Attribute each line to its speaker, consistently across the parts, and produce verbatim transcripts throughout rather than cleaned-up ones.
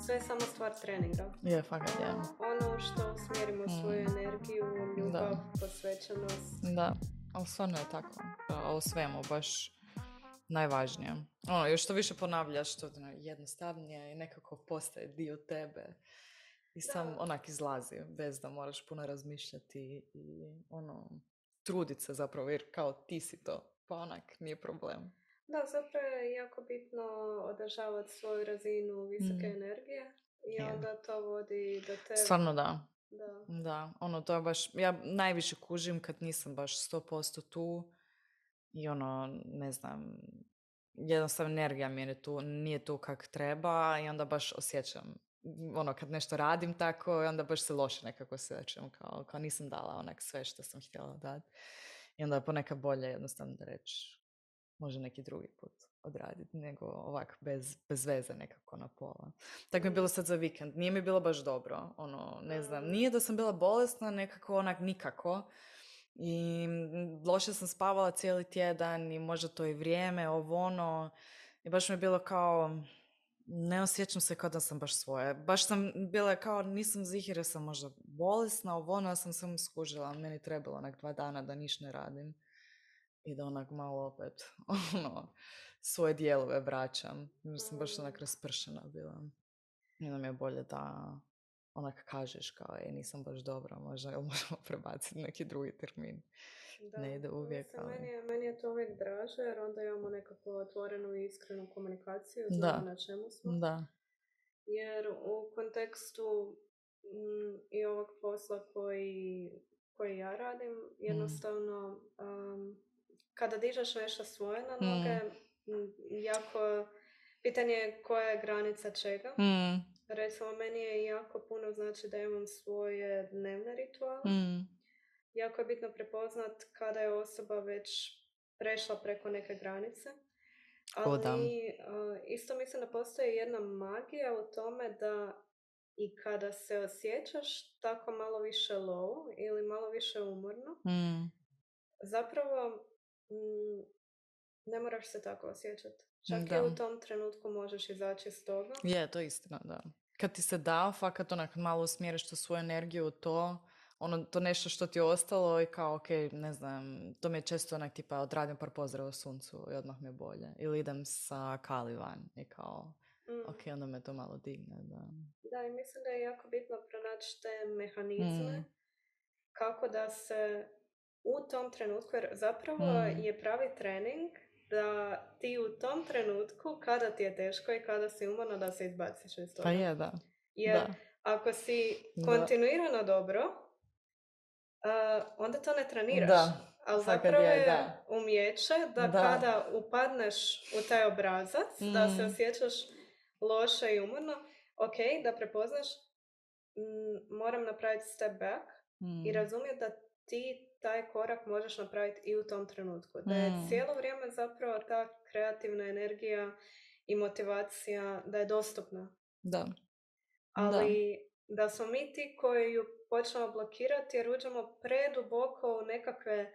Speaker 1: sve je samo stvar treninga.
Speaker 2: Je, fakat je.
Speaker 1: Ono što usmjerimo
Speaker 2: Mm.
Speaker 1: svoju energiju, ljubav,
Speaker 2: Da.
Speaker 1: posvećenost.
Speaker 2: Da, ali stvarno je tako. Da, o svemu, baš najvažnije. Ono, još što više ponavljaš, što ono, jednostavnije i nekako postaje dio tebe. I sam
Speaker 1: Da.
Speaker 2: onak izlazi, bez da moraš puno razmišljati i ono, trudit se zapravo, jer kao ti si to, pa onak nije problem.
Speaker 1: Da, zapravo je jako bitno održavati svoju razinu visoke
Speaker 2: Mm.
Speaker 1: energije i
Speaker 2: Je.
Speaker 1: onda to vodi do tebe.
Speaker 2: Stvarno da.
Speaker 1: Da.
Speaker 2: Da, ono, to je baš, ja najviše kužim kad nisam baš sto posto tu i ono, ne znam, jednostavno energija mi je tu, nije tu kak treba i onda baš osjećam, ono, kad nešto radim tako, i onda baš se loše nekako osjećam, kao, kao nisam dala onak sve što sam htjela dati. I onda je ponekad bolje jednostavno da reći, može neki drugi put odraditi, nego ovak bez, bez veze nekako na pola. Tako mi je bilo sad za vikend. Nije mi bilo baš dobro. Ono, ne znam, nije da sam bila bolesna, nekako onak nikako. I loše sam spavala cijeli tjedan i možda to i vrijeme, ovo ono. I baš mi je bilo kao, ne osjećam se kao da sam baš svoje. Baš sam bila kao, nisam zihira, sam možda bolesna, ovo ono, ja sam samo skužila. Meni trebalo onak dva dana da niš ne radim. I da onak malo opet, ono, svoje dijelove vraćam. Jer sam baš onak raspršena bila. I onda mi je bolje da onak kažeš kao, e, nisam baš dobra, možda jel možemo prebaciti neki drugi termin.
Speaker 1: Da.
Speaker 2: Ne ide uvijek,
Speaker 1: Mislim,
Speaker 2: ali...
Speaker 1: meni, je, meni je to uvijek draže, jer onda imamo nekako otvorenu i iskrenu komunikaciju,
Speaker 2: Da.
Speaker 1: znamo na čemu smo.
Speaker 2: Da.
Speaker 1: Jer u kontekstu mm, i ovog posla koji, koji ja radim, jednostavno um, kada dižeš nešto svoje na noge, mm. jako pitanje je koja je granica čega.
Speaker 2: Mm.
Speaker 1: Recimo, meni je jako puno znači da imam svoje dnevne rituale.
Speaker 2: Mm.
Speaker 1: Jako je bitno prepoznat kada je osoba već prešla preko neke granice. Ali uh, isto mislim da postoji jedna magija u tome da i kada se osjećaš tako malo više low ili malo više umorno,
Speaker 2: Mm.
Speaker 1: zapravo mm, ne moraš se tako osjećati. Čak
Speaker 2: Da.
Speaker 1: i u tom trenutku možeš izaći iz toga.
Speaker 2: Je, to je istina, da. Kad ti se da, fakat onak malo usmjeriš tu svoju energiju u to, ono, to nešto što ti je ostalo i kao, ok, ne znam, to mi je često onak tipa odradim par pozdrava suncu i odmah mi je bolje. Ili idem sa Kali van i kao,
Speaker 1: Mm.
Speaker 2: ok, onda me to malo digne, da.
Speaker 1: Da, i mislim da je jako bitno pronaći te mehanizme
Speaker 2: Mm.
Speaker 1: kako da se u tom trenutku, jer zapravo
Speaker 2: Mm.
Speaker 1: je pravi trening da ti u tom trenutku, kada ti je teško i kada si umorna, da se izbaciš iz toga.
Speaker 2: Pa je, da.
Speaker 1: Jer
Speaker 2: da.
Speaker 1: ako si
Speaker 2: Da.
Speaker 1: kontinuirano dobro, uh, onda to ne treniraš.
Speaker 2: Da.
Speaker 1: Ali
Speaker 2: Fakat
Speaker 1: zapravo
Speaker 2: je,
Speaker 1: je
Speaker 2: da.
Speaker 1: umjeće da,
Speaker 2: Da.
Speaker 1: kada upadneš u taj obrazac,
Speaker 2: Mm.
Speaker 1: da se osjećaš loše i umorno, ok, da prepoznaš, m, moram napraviti step back
Speaker 2: Mm.
Speaker 1: i razumjeti da ti taj korak možeš napraviti i u tom trenutku. Da je
Speaker 2: Mm.
Speaker 1: cijelo vrijeme zapravo ta kreativna energija i motivacija da je dostupna.
Speaker 2: Da.
Speaker 1: Ali da. da smo mi ti koji ju počnemo blokirati jer uđemo preduboko u nekakve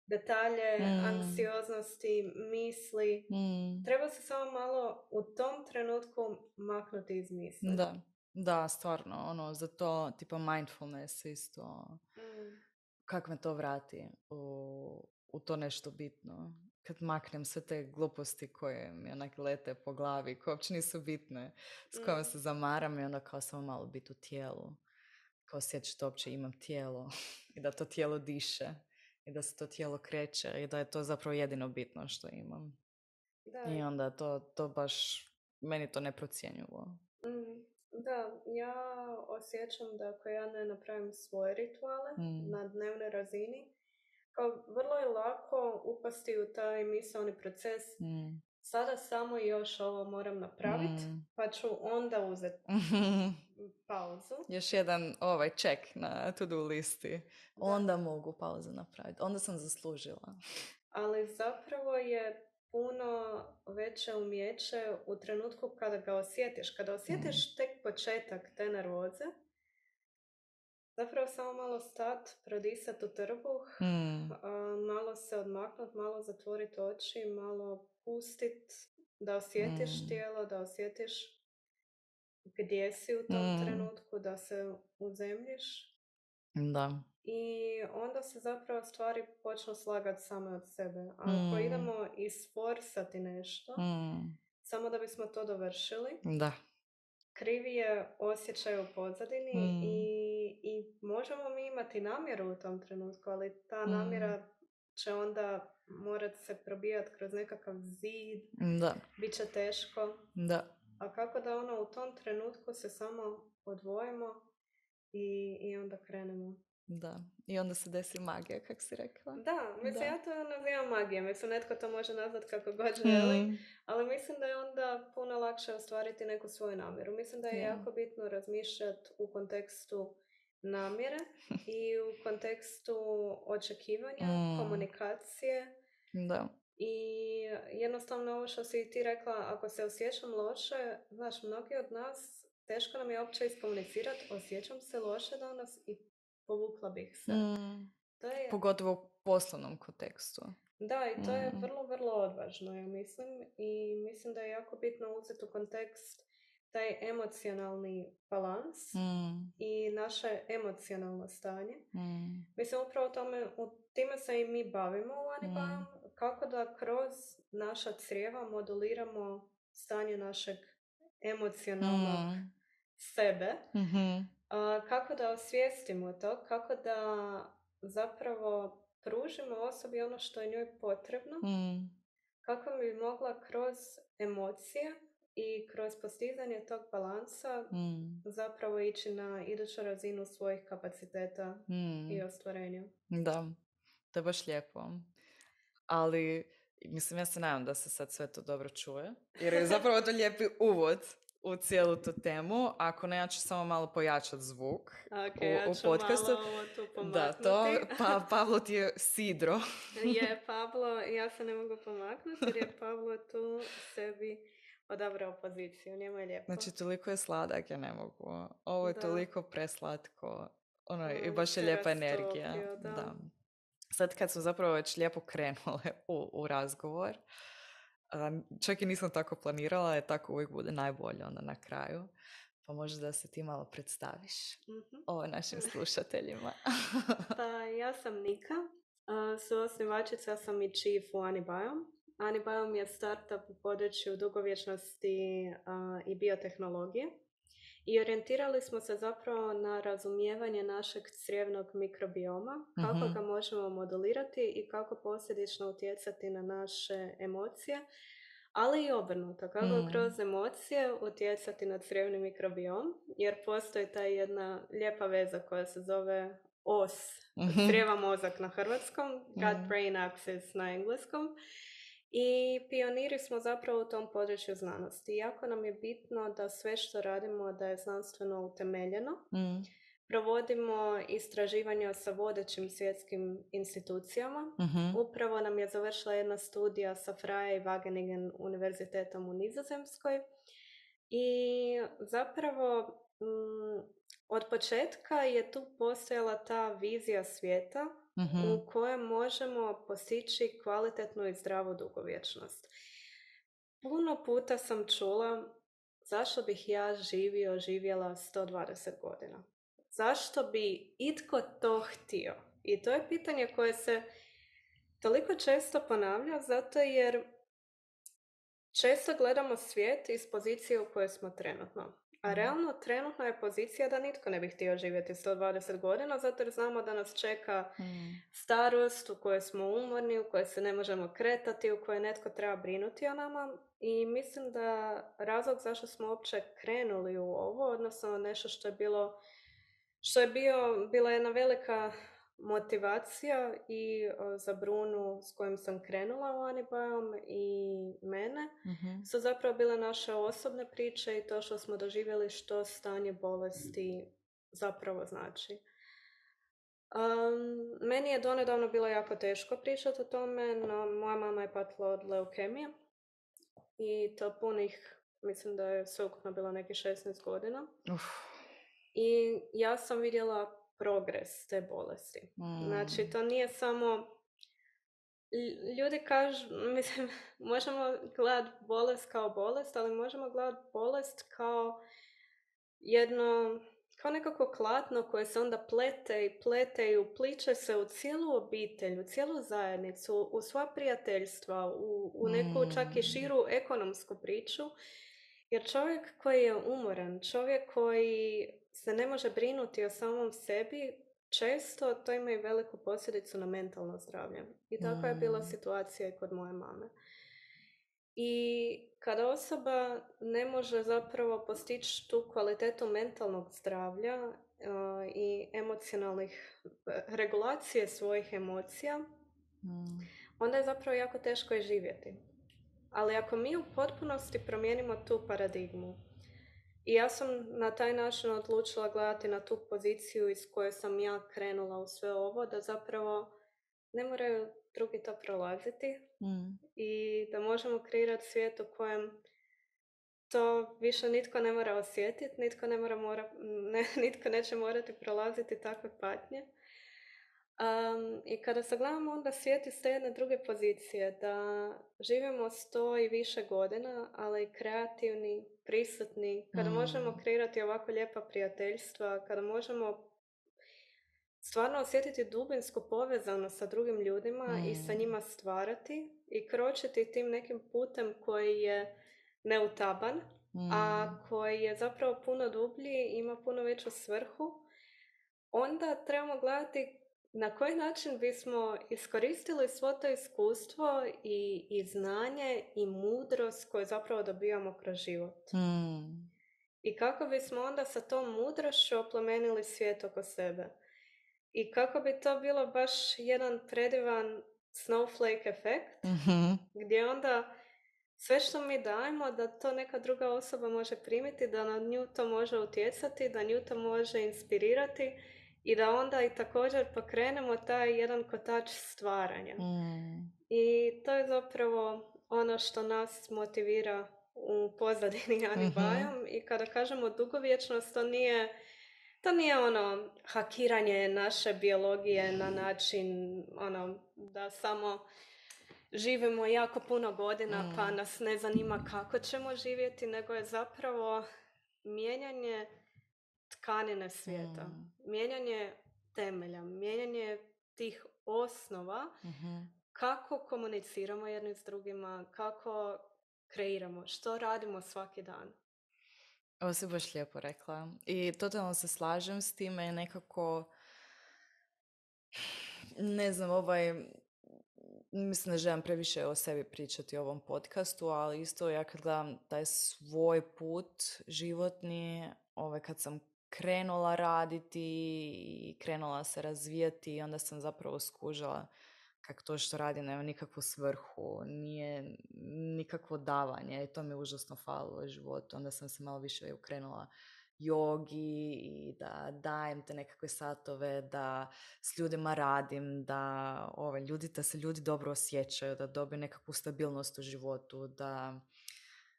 Speaker 1: detalje,
Speaker 2: Mm.
Speaker 1: anksioznosti, misli.
Speaker 2: Mm.
Speaker 1: Treba se samo malo u tom trenutku maknuti iz misli.
Speaker 2: Da. Da, stvarno, ono, za to, tipa mindfulness isto,
Speaker 1: Mm.
Speaker 2: kak me to vrati u, u to nešto bitno. Kad maknem sve te gluposti koje mi onak lete po glavi, koje uopće nisu bitne, s kojima se zamaram i onda kao samo malo biti u tijelu. Kao osjećati da uopće imam tijelo i da to tijelo diše i da se to tijelo kreće i da je to zapravo jedino bitno što imam.
Speaker 1: Da.
Speaker 2: I onda to, to baš, meni to neprocjenjivo.
Speaker 1: Mm. Da, ja osjećam da ako ja ne napravim svoje rituale
Speaker 2: Mm.
Speaker 1: na dnevnoj razini, kao vrlo je lako upasti u taj misaoni proces.
Speaker 2: Mm.
Speaker 1: Sada samo još ovo moram napraviti,
Speaker 2: Mm.
Speaker 1: pa ću onda uzeti pauzu.
Speaker 2: Još jedan ovaj check na to-do listi.
Speaker 1: Da.
Speaker 2: Onda mogu pauzu napraviti. Onda sam zaslužila.
Speaker 1: Ali zapravo je puno veće umjeće u trenutku kada ga osjetiš. Kada osjetiš mm. tek početak te nervoze, zapravo samo malo stat, prodisat u trbuh,
Speaker 2: Mm.
Speaker 1: malo se odmaknut, malo zatvorit oči, malo pustit, da osjetiš
Speaker 2: mm.
Speaker 1: tijelo, da osjetiš gdje si u tom
Speaker 2: Mm.
Speaker 1: trenutku, da se uzemljiš.
Speaker 2: Da.
Speaker 1: I onda se zapravo stvari počnu slagati same od sebe. A ako
Speaker 2: Mm.
Speaker 1: idemo isforsati nešto,
Speaker 2: Mm.
Speaker 1: samo da bismo to dovršili,
Speaker 2: Da.
Speaker 1: krivi je osjećaj u pozadini
Speaker 2: Mm.
Speaker 1: i, i možemo mi imati namjeru u tom trenutku, ali ta
Speaker 2: Mm.
Speaker 1: namjera će onda morat se probijati kroz nekakav zid,
Speaker 2: Da.
Speaker 1: bit će teško.
Speaker 2: Da.
Speaker 1: A kako da ono u tom trenutku se samo odvojimo i, i onda krenemo.
Speaker 2: Da. I onda se desi magija, kako si rekla.
Speaker 1: Da, mislim,
Speaker 2: Da.
Speaker 1: ja to nazivam magija. Mislim, netko to može nazvat kako god želi,
Speaker 2: Mm.
Speaker 1: ali mislim da je onda puno lakše ostvariti neku svoju namjeru. Mislim da je
Speaker 2: Yeah.
Speaker 1: jako bitno razmišljati u kontekstu namjere i u kontekstu očekivanja,
Speaker 2: Mm.
Speaker 1: komunikacije.
Speaker 2: Da.
Speaker 1: I jednostavno ovo što si ti rekla, ako se osjećam loše, znaš, mnogi od nas, teško nam je uopće iskomunicirati, osjećam se loše danas i povukla bih se.
Speaker 2: Mm.
Speaker 1: To je...
Speaker 2: Pogotovo u poslovnom kontekstu.
Speaker 1: Da, i to
Speaker 2: mm.
Speaker 1: je vrlo, vrlo odvažno, ja mislim. I mislim da je jako bitno uzeti u kontekst taj emocionalni balans
Speaker 2: Mm.
Speaker 1: i naše emocionalno stanje.
Speaker 2: Mm.
Speaker 1: Mislim, upravo tome, u time se i mi bavimo u Anibajom,
Speaker 2: Mm.
Speaker 1: kako da kroz naša crijeva moduliramo stanje našeg emocionalnog
Speaker 2: Mm.
Speaker 1: sebe.
Speaker 2: Mm-hmm.
Speaker 1: A, kako da osvijestimo to, kako da zapravo pružimo osobi ono što je njoj potrebno,
Speaker 2: Mm.
Speaker 1: kako bi mogla kroz emocije i kroz postizanje tog balansa
Speaker 2: Mm.
Speaker 1: zapravo ići na iduću razinu svojih kapaciteta
Speaker 2: Mm.
Speaker 1: i ostvarenja.
Speaker 2: Da, to je baš lijepo. Ali, mislim, ja se nadam da se sad sve to dobro čuje, jer je zapravo to lijepi uvod u cijelu tu temu. Ako ne, ja ću samo malo pojačati zvuk
Speaker 1: Ok,
Speaker 2: u,
Speaker 1: ja
Speaker 2: u
Speaker 1: ću
Speaker 2: podcastu.
Speaker 1: malo ovo tu pomaknuti.
Speaker 2: Da, to, pa, Pavlo ti je sidro.
Speaker 1: Je, Pablo, ja se ne mogu pomaknuti jer je Pablo tu sebi odabrao poziciju, njemu je lijepo.
Speaker 2: Znači, toliko je sladak, ja ne mogu. Ovo je
Speaker 1: Da.
Speaker 2: toliko preslatko. Ono,
Speaker 1: On
Speaker 2: i baš je
Speaker 1: se
Speaker 2: lijepa energija.
Speaker 1: rastopio, da.
Speaker 2: Da. Sad kad smo zapravo već lijepo krenule u, u razgovor, um, čak i nisam tako planirala, jer tako uvijek bude najbolje onda na kraju. Pa možda da se ti malo predstaviš
Speaker 1: Mm-hmm.
Speaker 2: ovo našim slušateljima.
Speaker 1: Pa ja sam Nika, uh, suosnivačica sam i chief u Anibiome. Anibiome je startup u području dugovječnosti uh, i biotehnologije. I orijentirali smo se zapravo na razumijevanje našeg crijevnog mikrobioma, kako
Speaker 2: Mm-hmm.
Speaker 1: ga možemo modulirati i kako posljedično utjecati na naše emocije, ali i obrnuto, kako
Speaker 2: Mm.
Speaker 1: kroz emocije utjecati na crijevni mikrobiom, jer postoji ta jedna lijepa veza koja se zove O S,
Speaker 2: Mm-hmm.
Speaker 1: crijeva mozak na hrvatskom, gut-brain axis na engleskom. I pioniri smo zapravo u tom području znanosti. Jako nam je bitno da sve što radimo da je znanstveno utemeljeno.
Speaker 2: Mm.
Speaker 1: Provodimo istraživanja sa vodećim svjetskim institucijama.
Speaker 2: Mm-hmm.
Speaker 1: Upravo nam je završila jedna studija sa Freie i Wageningen univerzitetom u Nizozemskoj. I zapravo m, od početka je tu postojala ta vizija svijeta
Speaker 2: Mm-hmm.
Speaker 1: u kojem možemo postići kvalitetnu i zdravu dugovječnost. Puno puta sam čula zašto bih ja živio, živjela sto dvadeset godina. Zašto bi itko to htio? I to je pitanje koje se toliko često ponavlja zato jer često gledamo svijet iz pozicije u kojoj smo trenutno. A realno trenutno je pozicija da nitko ne bi htio živjeti sto dvadeset godina, zato jer znamo da nas čeka
Speaker 2: Mm.
Speaker 1: starost u kojoj smo umorni, u kojoj se ne možemo kretati, u kojoj netko treba brinuti o nama. I mislim da razlog zašto smo uopće krenuli u ovo, odnosno nešto što je bilo, što je bio, bila jedna velika motivacija i o, za Brunu s kojim sam krenula u Anibiome i mene,
Speaker 2: Mm-hmm.
Speaker 1: su zapravo bile naše osobne priče i to što smo doživjeli što stanje bolesti zapravo znači. Um, meni je donedavno bilo jako teško pričati o tome, no moja mama je patila od leukemije i to punih, mislim da je sveukupno bilo nekih šesnaest godina.
Speaker 2: Uf.
Speaker 1: I ja sam vidjela progres te bolesti.
Speaker 2: Mm.
Speaker 1: Znači, to nije samo... Ljudi kažu, mislim, možemo gledati bolest kao bolest, ali možemo gledati bolest kao jedno, kao nekako klatno koje se onda plete i plete i upliče se u cijelu obitelj, u cijelu zajednicu, u sva prijateljstva, u, u neku čak i
Speaker 2: Mm.
Speaker 1: širu ekonomsku priču. Jer čovjek koji je umoran, čovjek koji se ne može brinuti o samom sebi, često to ima i veliku posljedicu na mentalno zdravlje. I takva je bila
Speaker 2: Mm.
Speaker 1: situacija i kod moje mame. I kada osoba ne može zapravo postići tu kvalitetu mentalnog zdravlja uh, i emocionalnih regulacije svojih emocija,
Speaker 2: Mm.
Speaker 1: onda je zapravo jako teško i živjeti. Ali ako mi u potpunosti promijenimo tu paradigmu, i ja sam na taj način odlučila gledati na tu poziciju iz koje sam ja krenula u sve ovo, da zapravo ne moraju drugi to prolaziti
Speaker 2: Mm.
Speaker 1: i da možemo kreirati svijet u kojem to više nitko ne mora osjetiti, nitko, ne mora mora, ne, nitko neće morati prolaziti takve patnje. Um, I kada sagledamo onda svijet iz te jedne druge pozicije, da živimo sto i više godina, ali kreativni, prisutni, kada
Speaker 2: Mm.
Speaker 1: možemo kreirati ovako lijepa prijateljstva, kada možemo stvarno osjetiti dubinsku povezanost sa drugim ljudima
Speaker 2: Mm.
Speaker 1: i sa njima stvarati i kročiti tim nekim putem koji je neutaban,
Speaker 2: Mm.
Speaker 1: a koji je zapravo puno dublji i ima puno veću svrhu, onda trebamo gledati na koji način bismo iskoristili svo to iskustvo i, i znanje i mudrost koje zapravo dobivamo kroz život.
Speaker 2: Mm.
Speaker 1: I kako bismo onda sa tom mudrošću oplemenili svijet oko sebe. I kako bi to bilo baš jedan predivan snowflake efekt,
Speaker 2: Mm-hmm.
Speaker 1: gdje onda sve što mi dajemo, da to neka druga osoba može primiti, da na nju to može utjecati, da nju to može inspirirati i da onda i također pokrenemo taj jedan kotač stvaranja.
Speaker 2: Mm.
Speaker 1: I to je zapravo ono što nas motivira u pozadini Ani
Speaker 2: Mm-hmm.
Speaker 1: Bajom. I kada kažemo dugovječnost, to nije, to nije ono hakiranje naše biologije na način ono, da samo živimo jako puno godina
Speaker 2: Mm.
Speaker 1: pa nas ne zanima kako ćemo živjeti, nego je zapravo mijenjanje tkanine svijeta,
Speaker 2: Mm.
Speaker 1: mijenjanje temelja, mijenjanje tih osnova,
Speaker 2: Mm-hmm.
Speaker 1: kako komuniciramo jedni s drugima, kako kreiramo, što radimo svaki dan.
Speaker 2: Ovo si baš lijepo rekla. I totalno se slažem s time i nekako, ne znam, ovaj, mislim da želim previše o sebi pričati u ovom podcastu, ali isto ja kad gledam taj svoj put životni, ovaj, kad sam krenula raditi i krenula se razvijati i onda sam zapravo skužila kako to što radi nema nikakvu svrhu, nije nikakvo davanje i to mi užasno falilo u životu. Onda sam se malo više ukrenula jogi i da dajem te nekakve satove, da s ljudima radim, da ove, ljudi, da se ljudi dobro osjećaju, da dobiju nekakvu stabilnost u životu, da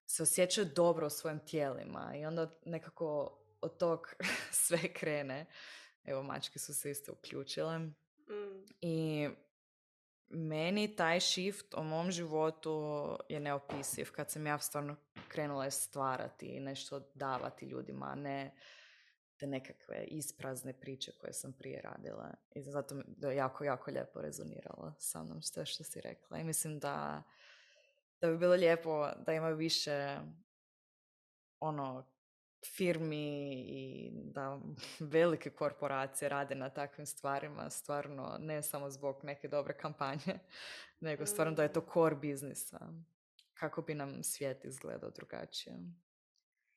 Speaker 2: se osjećaju dobro u svojim tijelima i onda nekako od tog sve krene. Evo, mačke su se isto uključile.
Speaker 1: Mm.
Speaker 2: I meni taj shift u mom životu je neopisiv kad sam ja stvarno krenula stvarati i nešto davati ljudima, a ne te nekakve isprazne priče koje sam prije radila. I zato mi je jako, jako lijepo rezoniralo sa mnom sve što si rekla. I mislim da, da bi bilo lijepo da ima više ono firmi i da velike korporacije rade na takvim stvarima, stvarno ne samo zbog neke dobre kampanje, nego stvarno da je to core biznisa, kako bi nam svijet izgledao drugačije.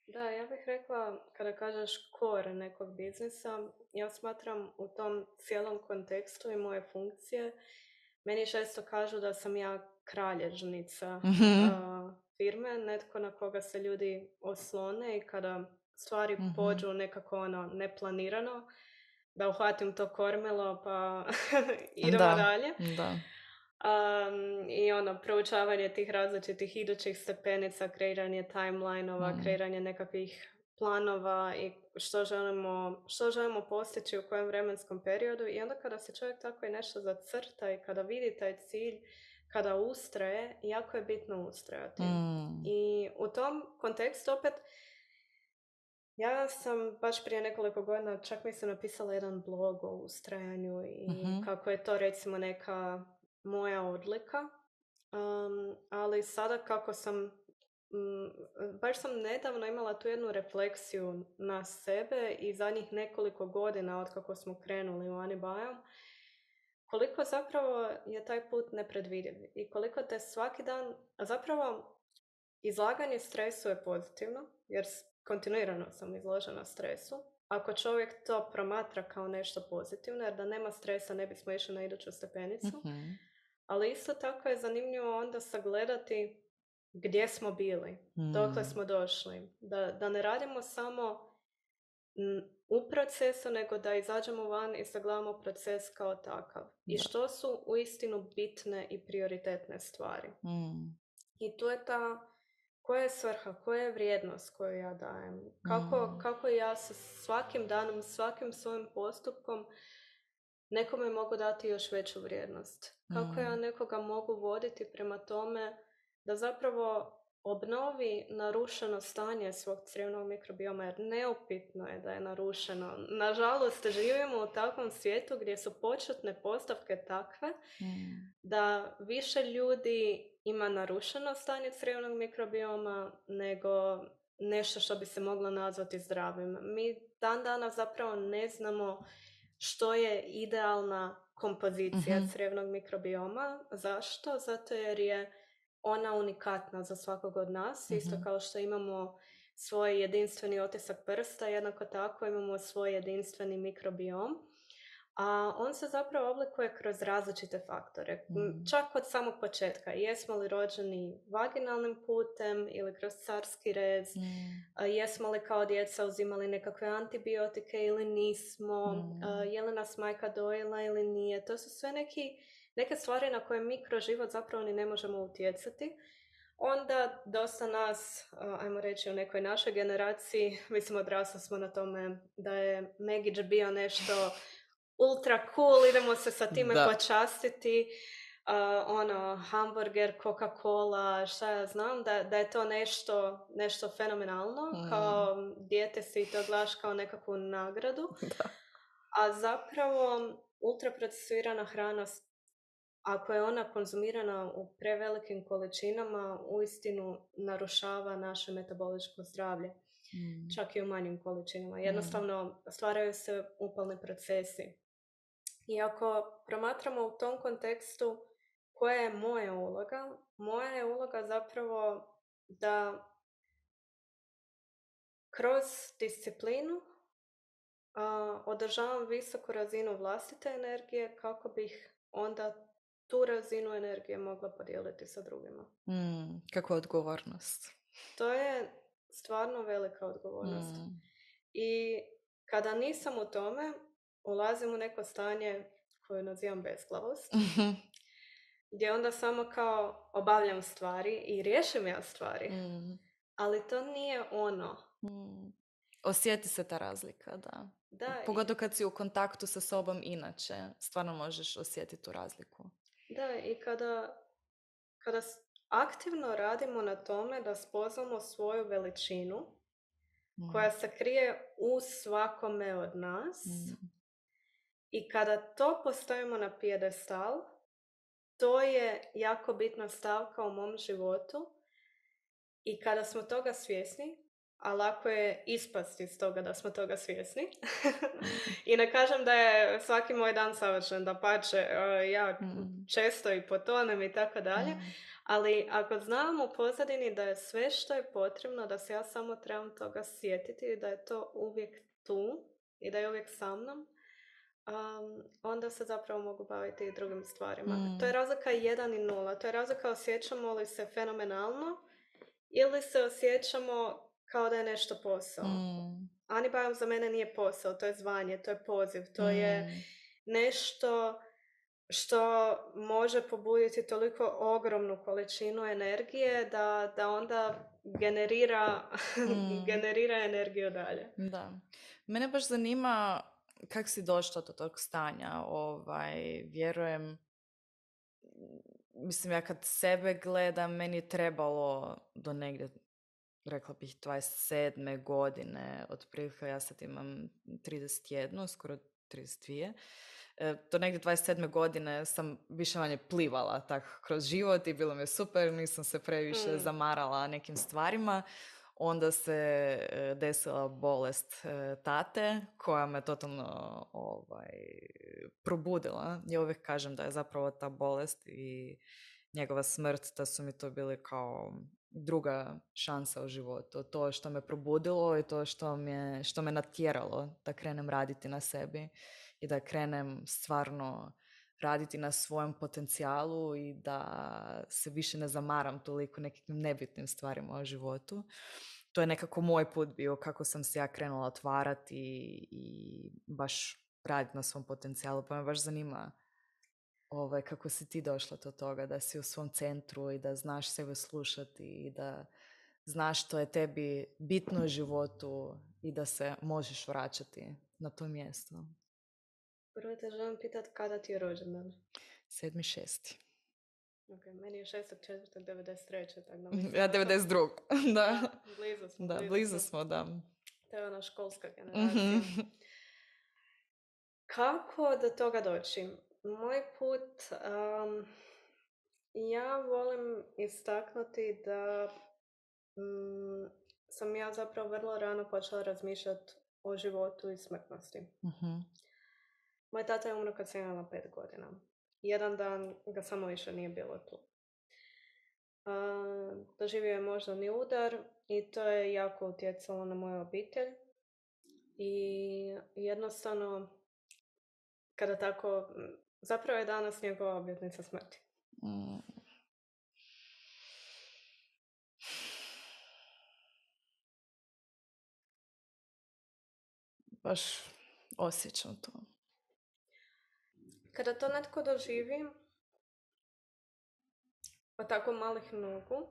Speaker 1: Da, ja bih rekla, kada kažeš core nekog biznisa, ja smatram u tom cijelom kontekstu i moje funkcije, meni često kažu da sam ja kralježnica
Speaker 2: Mm-hmm.
Speaker 1: uh, firme, netko na koga se ljudi oslone i kada stvari
Speaker 2: Mm-hmm.
Speaker 1: pođu nekako ono neplanirano, da uhvatim to kormilo pa idemo
Speaker 2: da,
Speaker 1: dalje.
Speaker 2: Da.
Speaker 1: Um, I ono, proučavanje tih različitih idućih stepenica, kreiranje timeline-ova,
Speaker 2: Mm.
Speaker 1: kreiranje nekakvih planova i što želimo, što želimo postići u kojem vremenskom periodu. I onda kada se čovjek tako i nešto zacrta i kada vidi taj cilj, kada ustraje, jako je bitno ustrajati.
Speaker 2: Mm.
Speaker 1: I u tom kontekstu opet Ja sam baš prije nekoliko godina, čak mislim, napisala jedan blog o ustrajanju i
Speaker 2: Mhm.
Speaker 1: kako je to recimo neka moja odlika. Um, ali sada kako sam, mm, baš sam nedavno imala tu jednu refleksiju na sebe i zadnjih nekoliko godina od kako smo krenuli u Anibayam, koliko zapravo je taj put nepredvidiv i koliko te svaki dan, a zapravo izlaganje stresu je pozitivno, jer s- kontinuirano sam izložena stresu. Ako čovjek to promatra kao nešto pozitivno, jer da nema stresa ne bismo išli na iduću stepenicu,
Speaker 2: Mhm.
Speaker 1: ali isto tako je zanimljivo onda sagledati gdje smo bili, dokle
Speaker 2: Mm.
Speaker 1: smo došli. Da, da ne radimo samo mm, u procesu, nego da izađemo van i sagledamo proces kao takav. I
Speaker 2: Da.
Speaker 1: što su uistinu bitne i prioritetne stvari.
Speaker 2: Mm.
Speaker 1: I tu je ta, koja je svrha, koja je vrijednost koju ja dajem. Kako,
Speaker 2: Mm.
Speaker 1: kako ja sa svakim danom, svakim svojim postupkom nekome mogu dati još veću vrijednost. Kako ja
Speaker 2: Mm.
Speaker 1: nekoga mogu voditi prema tome da zapravo obnovi narušeno stanje svog crijevnog mikrobioma, jer neupitno je da je narušeno. Nažalost, živimo u takvom svijetu gdje su početne postavke takve
Speaker 2: Mm.
Speaker 1: da više ljudi ima narušeno stanje crijevnog mikrobioma nego nešto što bi se moglo nazvati zdravim. Mi dan danas zapravo ne znamo što je idealna kompozicija
Speaker 2: Mhm.
Speaker 1: crijevnog mikrobioma. Zašto? Zato jer je ona unikatna za svakog od nas. Isto
Speaker 2: Mhm.
Speaker 1: kao što imamo svoj jedinstveni otisak prsta, jednako tako imamo svoj jedinstveni mikrobiom. A on se zapravo oblikuje kroz različite faktore. M,
Speaker 2: Mm.
Speaker 1: Čak od samog početka. Jesmo li rođeni vaginalnim putem ili kroz carski rez,
Speaker 2: Mm.
Speaker 1: a jesmo li kao djeca uzimali nekakve antibiotike ili nismo, a,
Speaker 2: Mm.
Speaker 1: je li nas majka dojela ili nije. To su sve neki, neke stvari na koje mi kroz život zapravo ni ne možemo utjecati. Onda dosta nas, a, ajmo reći u nekoj našoj generaciji, mislim odrasli smo na tome da je Megić bio nešto ultra cool, idemo se sa time
Speaker 2: Da.
Speaker 1: počastiti, uh, ono, hamburger, Coca-Cola, šta ja znam, da, da je to nešto, nešto fenomenalno,
Speaker 2: Mm.
Speaker 1: kao dijete si to gledaš kao nekakvu nagradu,
Speaker 2: Da.
Speaker 1: a zapravo ultraprocesuirana hrana, s- ako je ona konzumirana u prevelikim količinama, uistinu narušava naše metaboličko zdravlje,
Speaker 2: Mm.
Speaker 1: čak i u manjim količinama.
Speaker 2: Mm.
Speaker 1: Jednostavno stvaraju se upalni procesi. I ako promatramo u tom kontekstu koja je moja uloga, moja je uloga zapravo da kroz disciplinu a, održavam visoku razinu vlastite energije kako bih onda tu razinu energije mogla podijeliti sa drugima.
Speaker 2: Mm. Kakva odgovornost.
Speaker 1: To je stvarno velika odgovornost.
Speaker 2: Mm.
Speaker 1: I kada nisam u tome, ulazim u neko stanje koje nazivam bezglavost,
Speaker 2: Mhm.
Speaker 1: gdje onda samo kao obavljam stvari i riješim ja stvari.
Speaker 2: Mm.
Speaker 1: Ali to nije ono.
Speaker 2: Mm. Osjeti se ta razlika, da.
Speaker 1: Da, i,
Speaker 2: Pogotovo kad si u kontaktu sa sobom inače, stvarno možeš osjetiti tu razliku.
Speaker 1: da, i kada, kada s- aktivno radimo na tome da spoznamo svoju veličinu
Speaker 2: Mm.
Speaker 1: koja se krije u svakome od nas
Speaker 2: Mm.
Speaker 1: i kada to postavimo na pijedestal, to je jako bitna stavka u mom životu i kada smo toga svjesni, a lako je ispasti iz toga da smo toga svjesni.
Speaker 2: Mm.
Speaker 1: I ne kažem da je svaki moj dan savršen, dapače, e, ja
Speaker 2: Mm.
Speaker 1: često i potonem i tako dalje,
Speaker 2: Mm.
Speaker 1: ali ako znam u pozadini da je sve što je potrebno, da se ja samo trebam toga sjetiti i da je to uvijek tu i da je uvijek sa mnom, um, onda se zapravo mogu baviti i drugim stvarima.
Speaker 2: Mm.
Speaker 1: To je razlika jedan i nula. To je razlika osjećamo li se fenomenalno ili se osjećamo kao da je nešto posao.
Speaker 2: Mm.
Speaker 1: Anibayam za mene nije posao, to je zvanje, to je poziv, to je
Speaker 2: Mm.
Speaker 1: nešto što može pobuditi toliko ogromnu količinu energije da, da onda generira,
Speaker 2: Mm.
Speaker 1: generira energiju dalje.
Speaker 2: Da. Mene baš zanima kako si došla do tog stanja. Ovaj, vjerujem, mislim, ja kad sebe gledam, meni je trebalo do negdje rekla bih, dvadeset sedme godine, otprilike ja sad imam trideset jedan, skoro trideset dva. E, do negdje dvadeset sedme godine sam više manje plivala tak kroz život i bilo mi je super, nisam se previše
Speaker 1: Mm.
Speaker 2: zamarala nekim stvarima. Onda se e, desila bolest e, tate koja me totalno ovaj, probudila. Ja uvijek kažem da je zapravo ta bolest i njegova smrt, da su mi to bili kao druga šansa u životu. To što me probudilo i to što me, što me natjeralo da krenem raditi na sebi i da krenem stvarno raditi na svojem potencijalu i da se više ne zamaram toliko nekim nebitnim stvarima u životu. To je nekako moj put bio kako sam se ja krenula otvarati i, i baš raditi na svom potencijalu. Pa me baš zanima ovaj, kako si ti došla do toga da si u svom centru i da znaš sebe slušati i da znaš što je tebi bitno u životu i da se možeš vraćati na to mjesto.
Speaker 1: Prvo te želim pitati kada ti je rođendan?
Speaker 2: Sedmi šesti.
Speaker 1: Ok, meni je šestog četvrtog devedeset treće tako da mislim...
Speaker 2: Ja devedeset drugog da.
Speaker 1: Da, blizu smo.
Speaker 2: Da,
Speaker 1: blizu,
Speaker 2: blizu
Speaker 1: smo.
Speaker 2: smo, da.
Speaker 1: To je ona školska generacija.
Speaker 2: Mm-hmm.
Speaker 1: Kako do toga doći? Moj put, um, ja volim istaknuti da um, sam ja zapravo vrlo rano počela razmišljati o životu i smrtnosti.
Speaker 2: Mm-hmm.
Speaker 1: Moj tata je umro kad sam imala pet godina. Jedan dan ga samo više nije bilo tu. Uh, doživio je moždani udar i to je jako utjecalo na moju obitelj. I jednostavno, kada tako, zapravo je danas njegova obljetnica smrti.
Speaker 2: Mm. Baš osjećam to.
Speaker 1: Kada to netko doživi od tako malih nogu,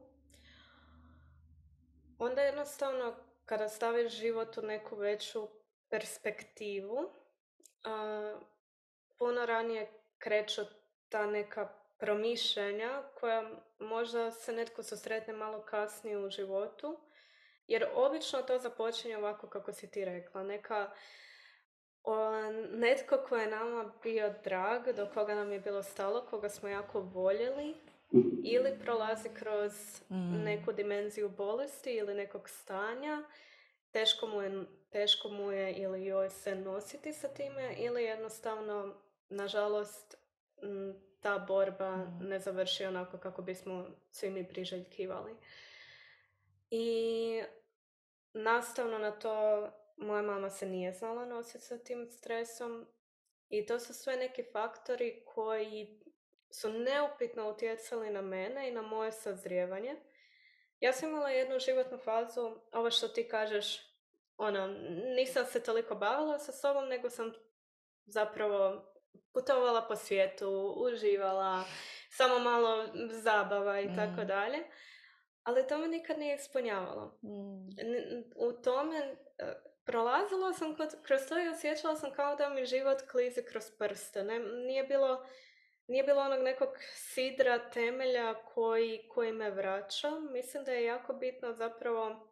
Speaker 1: onda jednostavno kada staviš život u neku veću perspektivu, uh, puno ranije kreću ta neka promišljanja koja možda se netko susretne malo kasnije u životu, jer obično to započinje ovako kako si ti rekla, neka o, netko ko je nama bio drag, do koga nam je bilo stalo, koga smo jako voljeli, ili prolazi kroz mm. neku dimenziju bolesti ili nekog stanja, teško mu je, teško mu je ili joj se nositi sa time, ili jednostavno, nažalost, ta borba mm. ne završi onako kako bismo svi mi priželjkivali. I nastavno na to, moja mama se nije znala nositi sa tim stresom i to su sve neki faktori koji su neupitno utjecali na mene i na moje sazrijevanje. Ja sam imala jednu životnu fazu, ovo što ti kažeš, ono, nisam se toliko bavila sa sobom, nego sam zapravo putovala po svijetu, uživala, samo malo zabava i mm. tako dalje. Ali to me nikad nije ispunjavalo. Mm. U tome prolazila sam kroz to i osjećala sam kao da mi život klizi kroz prste. Ne, nije, bilo, nije bilo onog nekog sidra, temelja koji, koji me vraća. Mislim da je jako bitno zapravo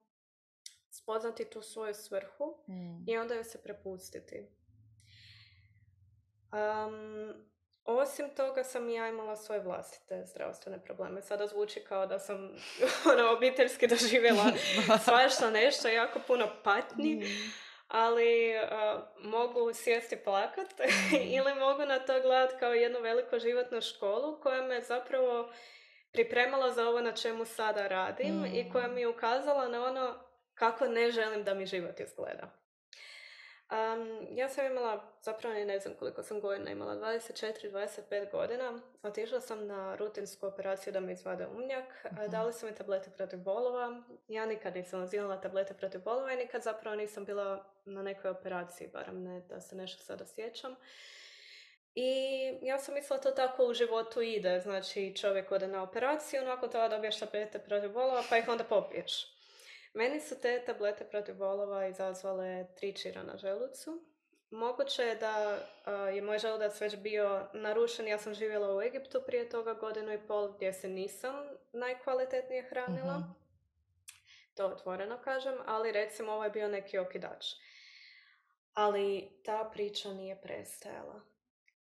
Speaker 1: spoznati tu svoju svrhu mm. i onda ju se prepustiti. Um, Osim toga sam ja imala svoje vlastite zdravstvene probleme. Sada zvuči kao da sam ono, obiteljski doživjela svašta nešto, jako puno patnji, mm. ali uh, mogu sjesti plakat mm. ili mogu na to gledati kao jednu veliku životnu školu koja me zapravo pripremala za ovo na čemu sada radim mm. i koja mi je ukazala na ono kako ne želim da mi život izgleda. Um, ja sam imala, zapravo ne znam koliko sam godina imala, dvadeset četiri dvadeset pet godina. Otišla sam na rutinsku operaciju da mi izvade umnjak. Uh-huh. Dali su mi tablete protiv bolova. Ja nikad nisam uzimala tablete protiv bolova i nikad zapravo nisam bila na nekoj operaciji, barem ne da se nešto sada sjećam. I ja sam mislila to tako u životu ide. Znači čovjek ode na operaciju, nakon toga dobiješ tablete protiv bolova pa ih onda popiješ. Meni su te tablete protiv bolova izazvale tri čira na želucu. Moguće je da uh, je moj želudac već bio narušen. Ja sam živjela u Egiptu prije toga godinu i pol gdje se nisam najkvalitetnije hranila. Mm-hmm. to otvoreno kažem, ali recimo ovo je bio neki okidač. Ali ta priča nije prestajala.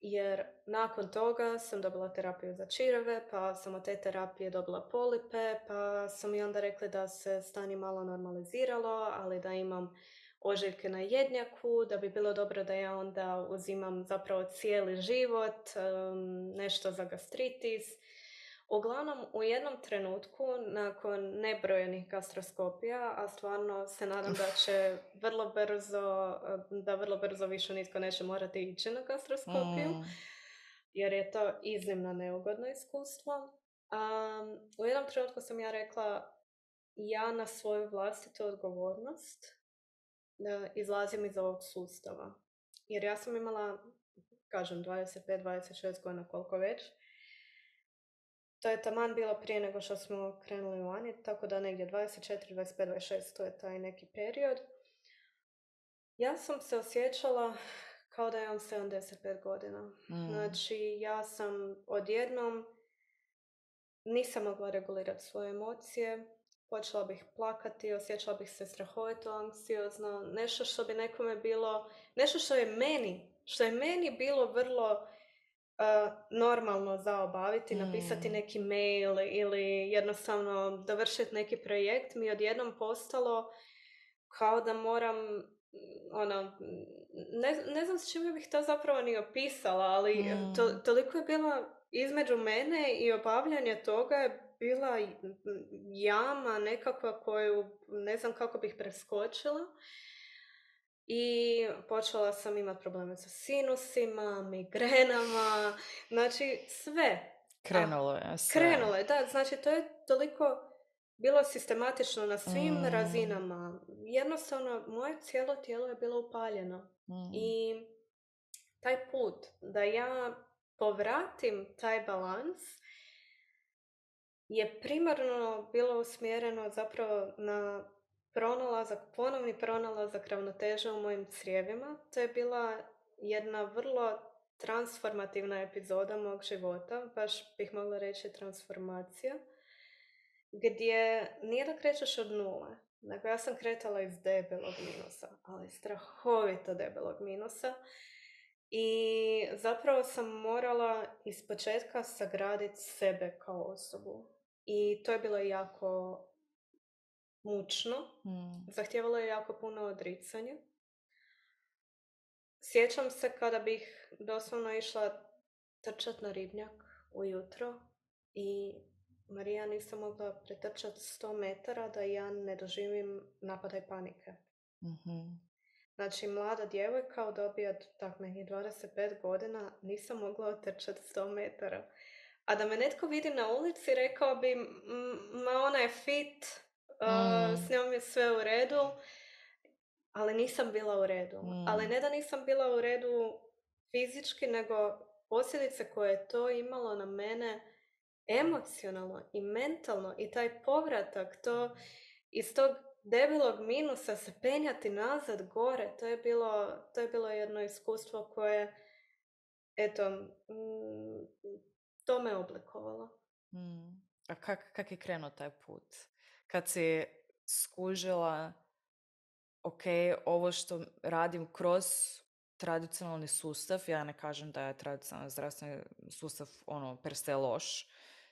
Speaker 1: Jer nakon toga sam dobila terapiju za čireve, pa sam od te terapije dobila polipe, pa sam i onda rekli da se stanje malo normaliziralo, ali da imam ožiljke na jednjaku, da bi bilo dobro da ja onda uzimam zapravo cijeli život, um, nešto za gastritis. Uglavnom, u jednom trenutku, nakon nebrojenih gastroskopija, a stvarno se nadam da će vrlo brzo, da vrlo brzo više nitko neće morati ići na gastroskopiju,
Speaker 2: Mm.
Speaker 1: jer je to iznimno neugodno iskustvo. Um, u jednom trenutku sam ja rekla, ja na svoju vlastitu odgovornost da izlazim iz ovog sustava. Jer ja sam imala, kažem, dvadeset pet dvadeset šest godina, koliko već. To je taman bilo prije nego što smo krenuli vani, tako da negdje dvadeset četiri, dvadeset pet, dvadeset šest, to je taj neki period. Ja sam se osjećala kao da imam sedamdeset pet godina.
Speaker 2: Mm.
Speaker 1: Znači, ja sam odjednom nisam mogla regulirati svoje emocije, počela bih plakati, osjećala bih se strahovito anksiozno, nešto što bi nekome bilo, nešto što je meni, što je meni bilo vrlo Uh, normalno za obaviti, mm. napisati neki mail ili jednostavno dovršiti neki projekt, mi odjednom postalo kao da moram, ono, ne, ne znam s čime bih to zapravo ni opisala, ali mm. to, toliko je bila između mene i obavljanje toga je bila jama nekakva koju ne znam kako bih preskočila. I počela sam imati probleme sa sinusima, migrenama, znači sve.
Speaker 2: Krenulo je sve.
Speaker 1: Krenulo je, da, znači to je toliko bilo sistematično na svim mm. razinama. Jednostavno, moje cijelo tijelo je bilo upaljeno. Mm. I taj put da ja povratim taj balans je primarno bilo usmjereno zapravo na pronalazak, ponovni pronalazak ravnoteže u mojim crijevima. To je bila jedna vrlo transformativna epizoda mog života, baš bih mogla reći transformacija, gdje nije da krećeš od nule, nego ja sam kretala iz debelog minusa, ali strahovito debelog minusa. I zapravo sam morala ispočetka sagraditi sebe kao osobu. I to je bilo jako mučno. Mm. Zahtijevalo je jako puno odricanja. Sjećam se kada bih doslovno išla trčat na ribnjak ujutro i Marija, nisam mogla pretrčati sto metara da ja ne doživim napadaj panike. Mm-hmm. Znači, mlada djevojka dobija tak nekih dvadeset pet godina, nisam mogla otrčati sto metara. A da me netko vidi na ulici, rekao bi, ma ona je fit, mm. uh, s njom je sve u redu, ali nisam bila u redu. Mm. Ali ne da nisam bila u redu fizički, nego posljedice koje je to imalo na mene emocionalno i mentalno i taj povratak, to iz tog debelog minusa se penjati nazad gore, to je bilo, to je bilo jedno iskustvo koje, eto, mm, to me oblikovalo.
Speaker 2: Mm. A kak, kak je krenuo taj put? Kad si skužila, ok, ovo što radim kroz tradicionalni sustav, ja ne kažem da je tradicionalni zdravstveni sustav ono per se loš,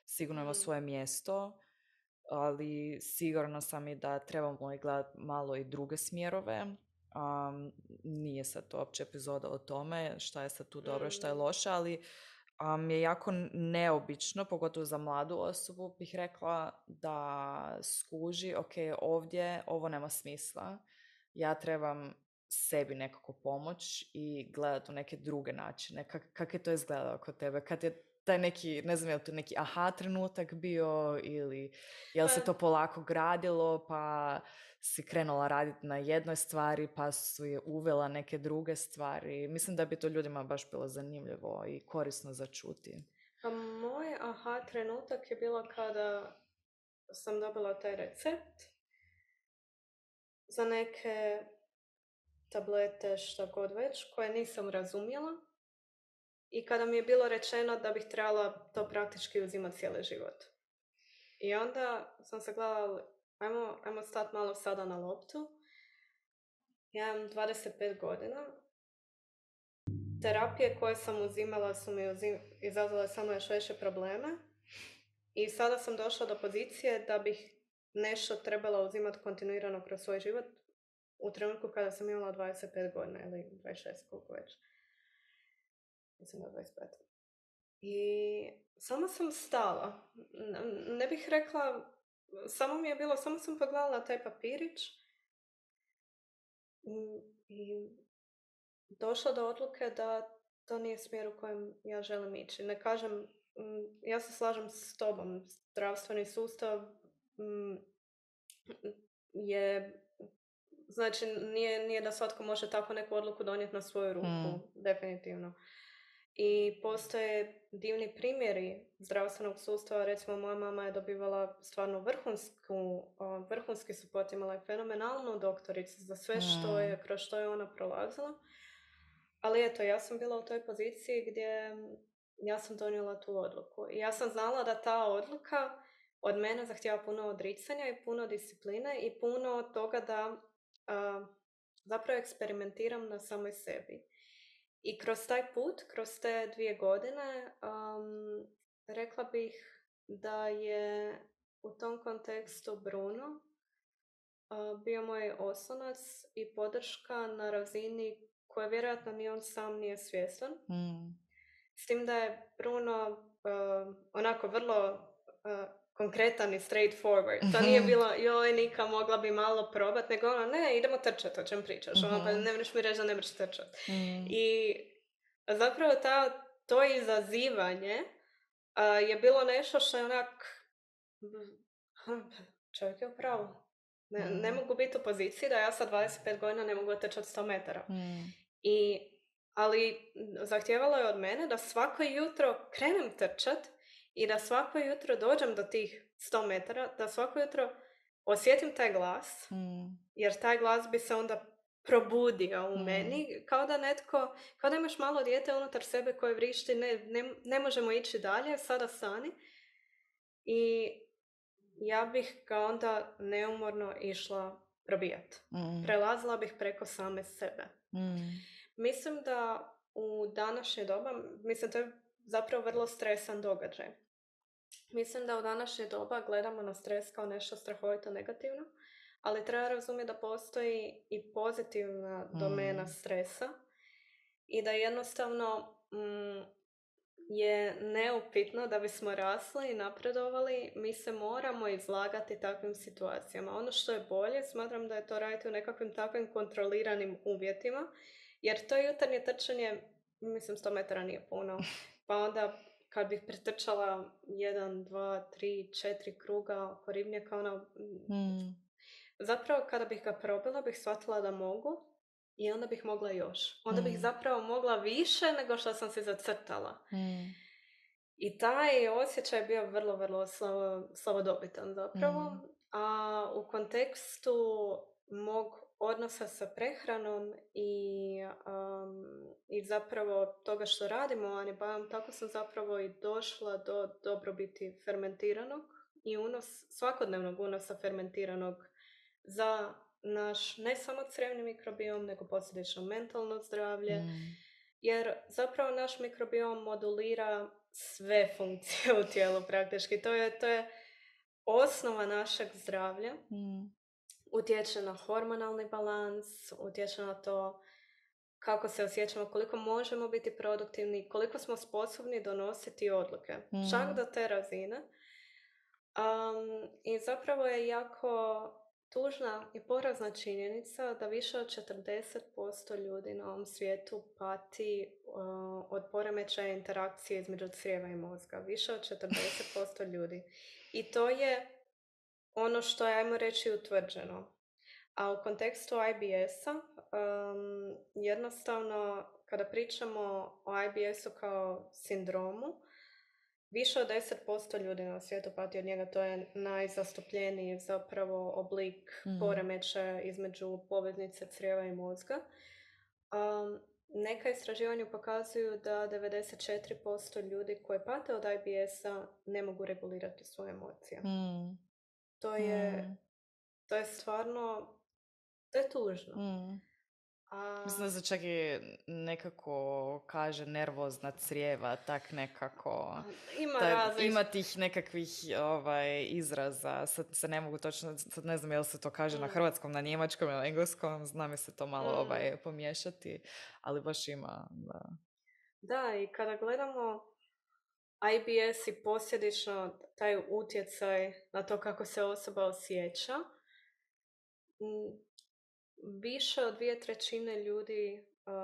Speaker 2: sigurno ima mm. svoje mjesto, ali sigurno sam i da trebamo i gledati malo i druge smjerove. Um, nije sad to uopće epizoda o tome šta je sad tu dobro, šta je loše, ali um, je jako neobično, pogotovo za mladu osobu, bih rekla da skuži, ok, ovdje ovo nema smisla, ja trebam sebi nekako pomoć i gledati u neke druge načine. Kak, kak je to izgledalo kod tebe? Kad je taj neki, ne znam je li to neki aha trenutak bio ili je li se to polako gradilo pa si krenula raditi na jednoj stvari pa su je uvela neke druge stvari. Mislim da bi to ljudima baš bilo zanimljivo i korisno za čuti.
Speaker 1: Pa moj aha trenutak je bilo kada sam dobila taj recept za neke tablete, šta god već, koje nisam razumjela. I kada mi je bilo rečeno da bih trebala to praktički uzimati cijeli život. I onda sam se gledala, ajmo, ajmo stati malo sada na loptu. Ja imam dvadeset pet godina. Terapije koje sam uzimala su mi uzim, izazvale samo još veće probleme. I sada sam došla do pozicije da bih nešto trebala uzimati kontinuirano kroz svoj život u trenutku kada sam imala dvadeset pet godina ili dvadeset šest, koliko već. Mislim da dvadeset pet. I samo sam stala. Ne bih rekla, samo mi je bilo, samo sam pogledala na taj papirić i došla do odluke da to nije smjer u kojem ja želim ići. Ne kažem, ja se slažem s tobom, zdravstveni sustav je, znači nije, nije da svatko može tako neku odluku donijeti na svoju ruku, hmm. definitivno. I postoje divni primjeri zdravstvenog sustava. Recimo, moja mama je dobivala stvarno vrhunsku, vrhunski support, imala je fenomenalnu doktoricu za sve što je, kroz što je ona prolazila. Ali eto, ja sam bila u toj poziciji gdje ja sam donijela tu odluku. I ja sam znala da ta odluka od mene zahtijeva puno odricanja i puno discipline i puno toga da uh, zapravo eksperimentiram na samoj sebi. I kroz taj put, kroz te dvije godine, um, rekla bih da je u tom kontekstu Bruno uh, bio moj oslonac i podrška na razini koje vjerojatno ni on sam nije svjestan. Mm. S tim da je Bruno uh, onako vrlo uh, konkretan i straightforward. To nije bilo, joj, Nika, mogla bi malo probat, nego ono, ne, idemo trčati, o čem pričaš. Mm-hmm. Ono, pa ne možeš mi reći da ne možeš trčati. Mm. I zapravo ta, to izazivanje uh, je bilo nešto što je onak, čovjek je u pravu. Ne, mm. ne mogu biti u poziciji da ja sa dvadeset pet godina ne mogu trčati sto metara. Mm. I, ali zahtijevalo je od mene da svako jutro krenem trčat i da svako jutro dođem do tih sto metara, da svako jutro osjetim taj glas, mm. jer taj glas bi se onda probudio u mm. meni, kao da netko, kao da imaš malo dijete unutar sebe koje vrišti, ne, ne, ne možemo ići dalje, sada stani. I ja bih ga onda neumorno išla probijati. Mm. Prelazila bih preko same sebe. Mm. Mislim da u današnje doba, mislim to je zapravo vrlo stresan događaj. Mislim da u današnje doba gledamo na stres kao nešto strahovito negativno, ali treba razumjeti da postoji i pozitivna mm. domena stresa i da jednostavno mm, je neupitno da bismo rasli i napredovali, mi se moramo izlagati takvim situacijama. Ono što je bolje, smatram da je to raditi u nekakvim takvim kontroliranim uvjetima, jer to jutarnje trčanje, mislim, sto metara nije puno, pa onda kad bih pretrčala jedan, dva, tri, četiri kruga oko ribnjaka, ono, mm. zapravo kada bih ga probila, bih shvatila da mogu i onda bih mogla još. Onda mm. bih zapravo mogla više nego što sam si zacrtala. Mm. I taj osjećaj je bio vrlo, vrlo slavo, slavodobitan zapravo. Mm. A u kontekstu mog odnosa sa prehranom i, um, i zapravo toga što radimo u Anibajom, tako sam zapravo i došla do dobrobiti fermentiranog i unos, svakodnevnog unosa fermentiranog za naš ne samo crevni mikrobiom, nego posljedično mentalno zdravlje, mm. jer zapravo naš mikrobiom modulira sve funkcije u tijelu praktički. To je, to je osnova našeg zdravlja. Mm. Utječe na hormonalni balans, utječe na to kako se osjećamo, koliko možemo biti produktivni, koliko smo sposobni donositi odluke. Mm. Čak do te razine. Um, I zapravo je jako tužna i porazna činjenica da više od četrdeset posto ljudi na ovom svijetu pati uh, od poremećaja interakcije između crijeva i mozga. Više od četrdeset posto ljudi. I to je ono što je, ajmo reći, utvrđeno. A u kontekstu I B S-a, um, jednostavno, kada pričamo o I B S-u kao sindromu, više od deset posto ljudi na svijetu pati od njega. To je najzastupljeniji zapravo oblik mm. poremećaja između poveznice crijeva i mozga. Um, neka istraživanja pokazuju da devedeset četiri posto ljudi koji pate od I B S-a ne mogu regulirati svoje emocije. Mm. To je, mm. to je stvarno, to je tužno.
Speaker 2: Mm.
Speaker 1: A...
Speaker 2: Mislim da se čak i nekako kaže nervozna crijeva, tak nekako.
Speaker 1: Ima
Speaker 2: Ta,
Speaker 1: različ...
Speaker 2: ima tih nekakvih ovaj, izraza, sad se ne mogu točno, sad ne znam jel se to kaže mm. na hrvatskom, na njemačkom ili engleskom, znam je se to malo mm. ovaj, pomiješati, ali baš ima, da.
Speaker 1: Da, i kada gledamo I B S i posljedično taj utjecaj na to kako se osoba osjeća, više od dvije trećine ljudi uh,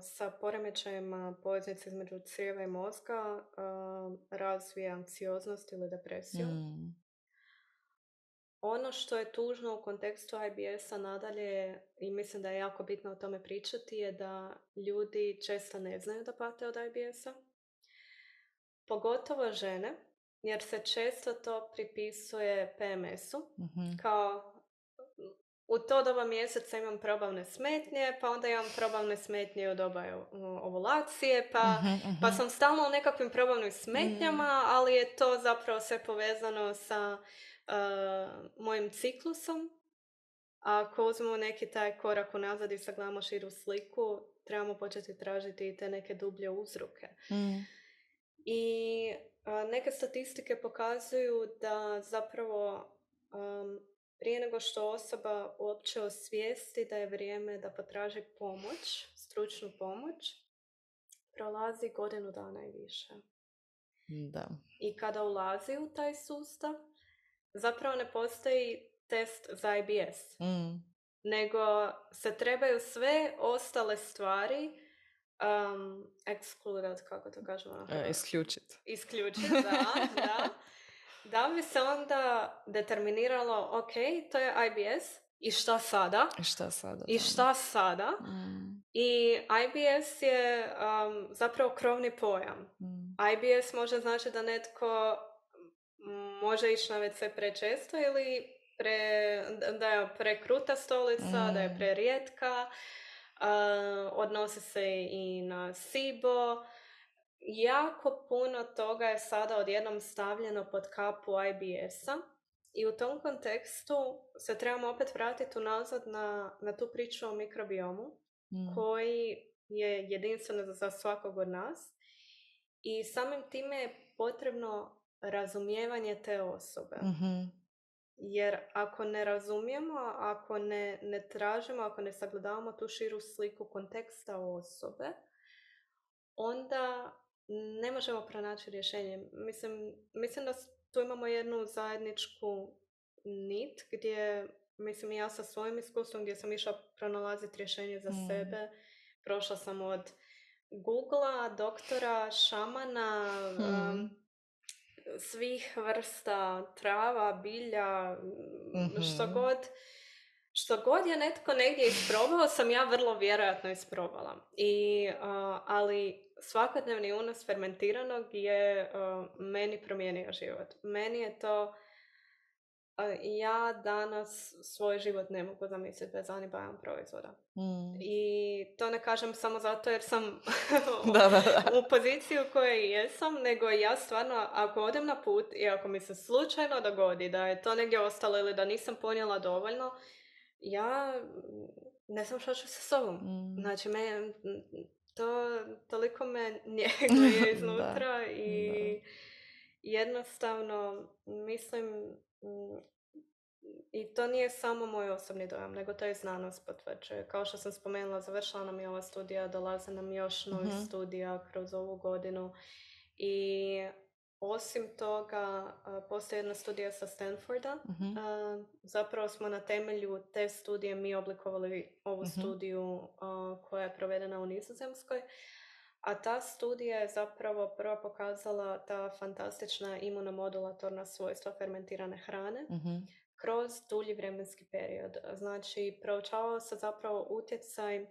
Speaker 1: sa poremećajima poveznice između crijeva i mozga uh, razvije anksioznost ili depresiju. Mm. Ono što je tužno u kontekstu I B S-a nadalje, i mislim da je jako bitno o tome pričati, je da ljudi često ne znaju da pate od I B S-a. Pogotovo žene, jer se često to pripisuje P M S-u, mm-hmm. kao u to doba mjeseca imam probavne smetnje, pa onda imam probavne smetnje u doba ovulacije, pa, mm-hmm, mm-hmm. pa sam stalno u nekakvim probavnim smetnjama, mm. ali je to zapravo sve povezano sa uh, mojim ciklusom. A ako uzmemo neki taj korak unazad i sagledamo širu sliku, trebamo početi tražiti i te neke dublje uzroke. Mm. I uh, neke statistike pokazuju da zapravo um, prije nego što osoba uopće osvijesti da je vrijeme da potraži pomoć, stručnu pomoć, prolazi godinu dana i više.
Speaker 2: Da.
Speaker 1: I kada ulazi u taj sustav, zapravo ne postoji test za I B S. Mm. Nego se trebaju sve ostale stvari um, ekskludat, kako to kažemo?
Speaker 2: E, isključiti.
Speaker 1: Isključiti, da, da. Da bi se onda determiniralo, ok, to je I B S, i šta sada?
Speaker 2: I šta sada?
Speaker 1: I šta sada? Mm. I I B S je um, zapravo krovni pojam. Mm. I B S može znači da netko može ići na ve ce prečesto ili pre, da je prekruta stolica, mm. da je prerijetka, uh, odnosi se i na SIBO. Jako puno toga je sada odjednom stavljeno pod kapu I B S-a i u tom kontekstu se trebamo opet vratiti unazad na, na tu priču o mikrobiomu mm. koji je jedinstven za svakog od nas i samim time je potrebno razumijevanje te osobe. Mm-hmm. Jer ako ne razumijemo, ako ne, ne tražimo, ako ne sagledavamo tu širu sliku konteksta osobe, onda ne možemo pronaći rješenje. Mislim, mislim da tu imamo jednu zajedničku nit gdje, mislim i ja sa svojim iskustvom, gdje sam išla pronalaziti rješenje za mm. sebe. Prošla sam od Googlea, doktora, šamana, mm. um, svih vrsta trava, bilja, mm-hmm. što god. Što god je netko negdje isprobao, sam ja vrlo vjerojatno isprobala. I, uh, ali svakodnevni unos fermentiranog je uh, meni promijenio život. Meni je to... Uh, ja danas svoj život ne mogu zamisliti bez Anibajan proizvoda. Mm. I to ne kažem samo zato jer sam
Speaker 2: da, da, da.
Speaker 1: u poziciji u kojoj jesam, nego ja stvarno, ako odem na put i ako mi se slučajno dogodi da je to negdje ostalo ili da nisam ponijela dovoljno, ja ne znam što ću sa sobom. Mm. Znači, me, to toliko me njeguje iznutra da, i da. Jednostavno mislim, i to nije samo moj osobni dojam, nego to je znanost potvrđuje. Kao što sam spomenula, završila nam je ova studija, dolaze nam još novih mm-hmm. studija kroz ovu godinu i osim toga, postoji jedna studija sa Stanforda. Mm-hmm. Zapravo smo na temelju te studije mi oblikovali ovu mm-hmm. studiju koja je provedena u Nizozemskoj. A ta studija je zapravo prvo pokazala ta fantastična imunomodulatorna svojstva fermentirane hrane mm-hmm. kroz dulji vremenski period. Znači, proučavao se zapravo utjecaj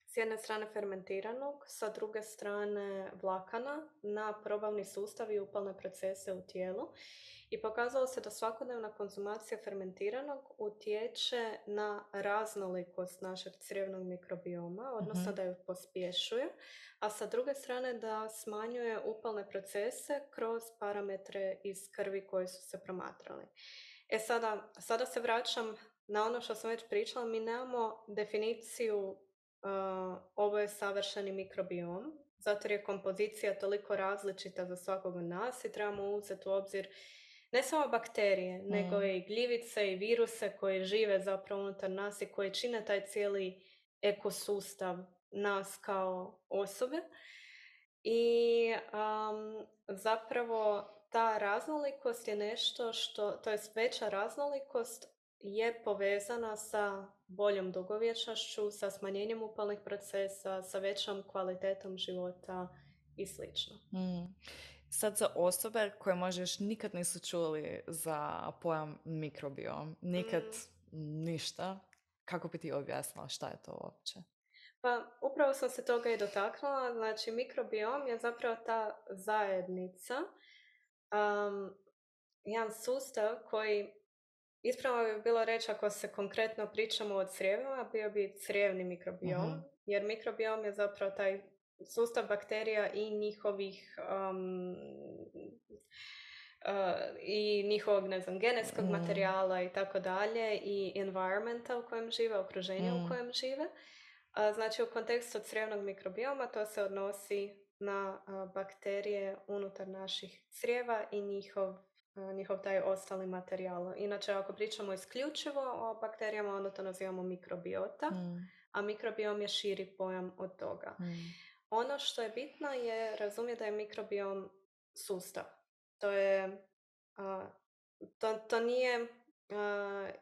Speaker 1: s jedne strane fermentiranog, sa druge strane vlakana na probavni sustav i upalne procese u tijelu. I pokazalo se da svakodnevna konzumacija fermentiranog utječe na raznolikost našeg crijevnog mikrobioma, odnosno mm-hmm. da ju pospješuje, a sa druge strane da smanjuje upalne procese kroz parametre iz krvi koji su se promatrali. E sada, sada se vraćam na ono što sam već pričala. Mi nemamo definiciju uh, ovo je savršeni mikrobiom, zato jer je kompozicija toliko različita za svakog od nas i trebamo uzeti u obzir ne samo bakterije, mm. nego i gljivice i viruse koji žive zapravo unutar nas i koji čine taj cijeli ekosustav nas kao osobe. I um, zapravo ta raznolikost je nešto što, to je veća raznolikost je povezana sa boljom dugovječnošću, sa smanjenjem upalnih procesa, sa većom kvalitetom života i slično.
Speaker 2: Mm. Sad za osobe koje možda još nikad nisu čuli za pojam mikrobiom, nikad mm. ništa, kako bi ti objasnila šta je to uopće?
Speaker 1: Pa upravo sam se toga i dotaknula. Znači mikrobiom je zapravo ta zajednica, um, jedan sustav koji, ispravno bi bilo reći ako se konkretno pričamo o crijevima, bio bi crijevni mikrobiom, mm-hmm. jer mikrobiom je zapravo taj sustav bakterija i njihovih um, uh, i njihovog, ne znam, genetskog mm. materijala i tako dalje i environmenta u kojem žive, okruženja mm. u kojem žive. Uh, znači u kontekstu crijevnog mikrobioma to se odnosi na uh, bakterije unutar naših crijeva i njihov njihov taj ostali materijal. Inače, ako pričamo isključivo o bakterijama, onda to nazivamo mikrobiota, mm. a mikrobiom je širi pojam od toga. Mm. Ono što je bitno je razumjeti da je mikrobiom sustav. To je, uh, to, to nije uh,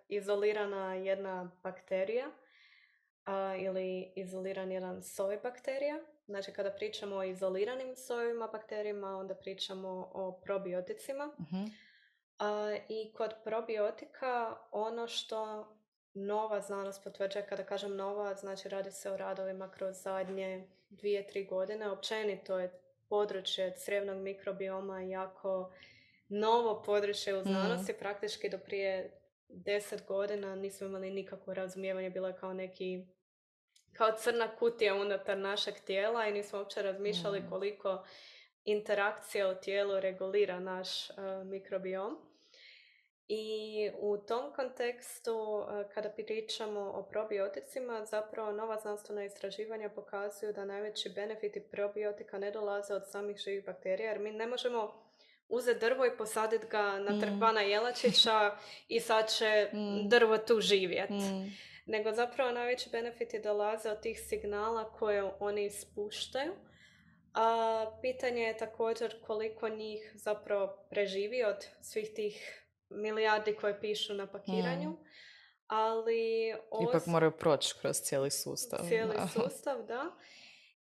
Speaker 1: izolirana jedna bakterija uh, ili izoliran jedan soj bakterija. Znači, kada pričamo o izoliranim sojevima bakterijama, onda pričamo o probioticima. Uh-huh. Uh, I kod probiotika ono što nova znanost potvrđuje, kada kažem nova, znači radi se o radovima kroz zadnje dvije, tri godine. Općenito je područje crijevnog mikrobioma jako novo područje u znanosti. Mm. Praktički do prije deset godina nismo imali nikakvo razumijevanje, bilo je kao neki kao crna kutija unutar našeg tijela i nismo uopće razmišljali mm. koliko interakcija u tijelu regulira naš uh, mikrobiom. I u tom kontekstu, uh, kada pričamo o probioticima, zapravo nova znanstvena istraživanja pokazuju da najveći benefiti probiotika ne dolaze od samih živih bakterija, jer mi ne možemo uzeti drvo i posaditi ga na trg bana Jelačića i sad će mm. drvo tu živjeti. Mm. Nego zapravo najveći benefiti dolaze od tih signala koje oni ispuštaju. A pitanje je također koliko njih zapravo preživi od svih tih milijardi koje pišu na pakiranju. Mm. Ali os...
Speaker 2: ipak moraju proći kroz cijeli sustav.
Speaker 1: Cijeli da. sustav, da.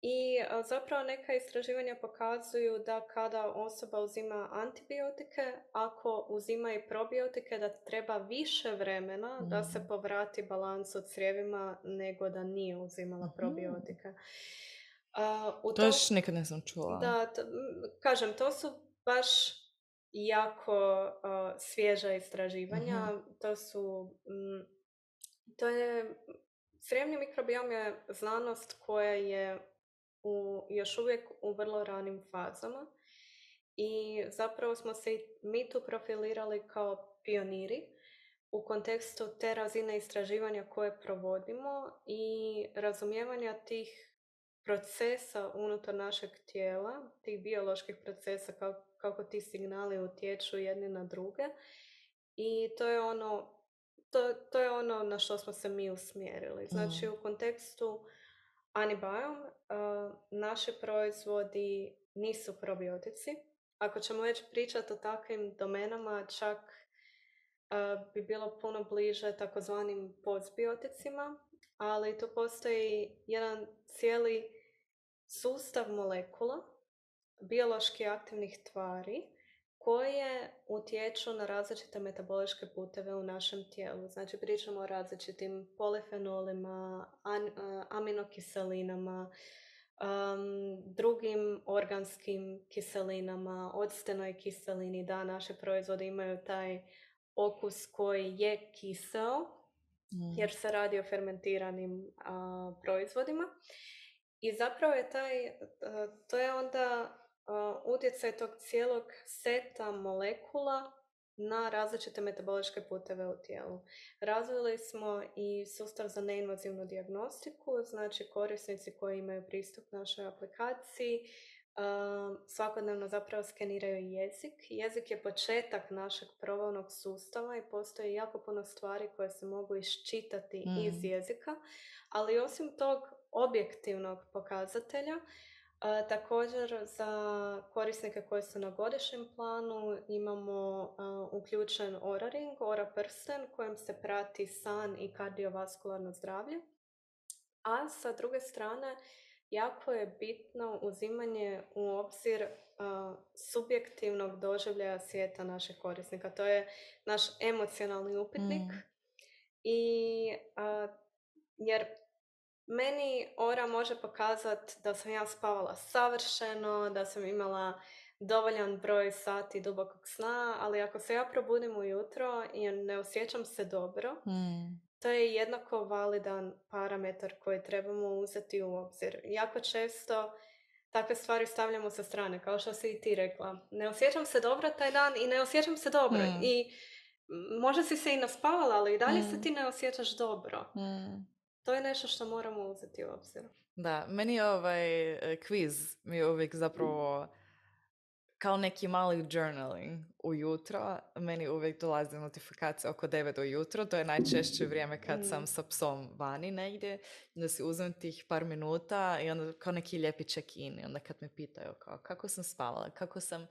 Speaker 1: I a, zapravo neka istraživanja pokazuju da kada osoba uzima antibiotike, ako uzima i probiotike, da treba više vremena mm. da se povrati balans u crijevima nego da nije uzimala mm. probiotike. Uh, u
Speaker 2: to još nikad nisam čula.
Speaker 1: Da, to, kažem, to su baš jako uh, svježa istraživanja. Mm-hmm. To su... Mm, to je... Crijevni mikrobiom je znanost koja je u, još uvijek u vrlo ranim fazama i zapravo smo se mi tu profilirali kao pioniri u kontekstu te razine istraživanja koje provodimo i razumijevanja tih procesa unutar našeg tijela, tih bioloških procesa, kako, kako ti signali utječu jedni na druge. I to je ono, to, to je ono na što smo se mi usmjerili. Znači, mm. u kontekstu Anibiom, uh, naši proizvodi nisu probiotici. Ako ćemo već pričati o takvim domenama, čak uh, bi bilo puno bliže takozvanim postbioticima, ali tu postoji jedan cijeli sustav molekula, biološki aktivnih tvari, koje utječu na različite metaboličke puteve u našem tijelu. Znači, pričamo o različitim polifenolima, an, uh, aminokiselinama, um, drugim organskim kiselinama, octenoj kiselini. Da, naše proizvode imaju taj okus koji je kiseo, mm. jer se radi o fermentiranim uh, proizvodima. I zapravo je taj, uh, to je onda Uh, utjecaj tog cijelog seta molekula na različite metaboličke puteve u tijelu. Razvili smo i sustav za neinvazivnu dijagnostiku, znači korisnici koji imaju pristup našoj aplikaciji um, svakodnevno zapravo skeniraju jezik. Jezik je početak našeg probavnog sustava i postoji jako puno stvari koje se mogu iščitati mm. iz jezika, ali osim tog objektivnog pokazatelja, A, također za korisnike koji su na godišnjem planu imamo a, uključen Oura Ring, Oura prsten kojim se prati san i kardiovaskularno zdravlje. A sa druge strane, jako je bitno uzimanje u obzir a, subjektivnog doživljaja svijeta naših korisnika. To je naš emocionalni upitnik. Mm. I, a, jer meni Oura može pokazati da sam ja spavala savršeno, da sam imala dovoljan broj sati dubokog sna, ali ako se ja probudim ujutro i ne osjećam se dobro, mm. to je jednako validan parametar koji trebamo uzeti u obzir. Jako često takve stvari stavljamo sa strane, kao što si i ti rekla. Ne osjećam se dobro taj dan i ne osjećam se dobro. Mm. I možda si se i naspavala, ali i dalje mm. se ti ne osjećaš dobro. Mm. To je nešto što moramo uzeti u obzir.
Speaker 2: Da, meni je ovaj kviz mi je uvijek zapravo kao neki mali journaling ujutro. Meni uvijek dolazi notifikacija oko devet ujutro. To je najčešće vrijeme kad mm. sam sa psom vani negdje. Da si uzmem tih par minuta i onda kao neki lijepi check-in. I onda kad me pitaju kao, kako sam spavala, kako sam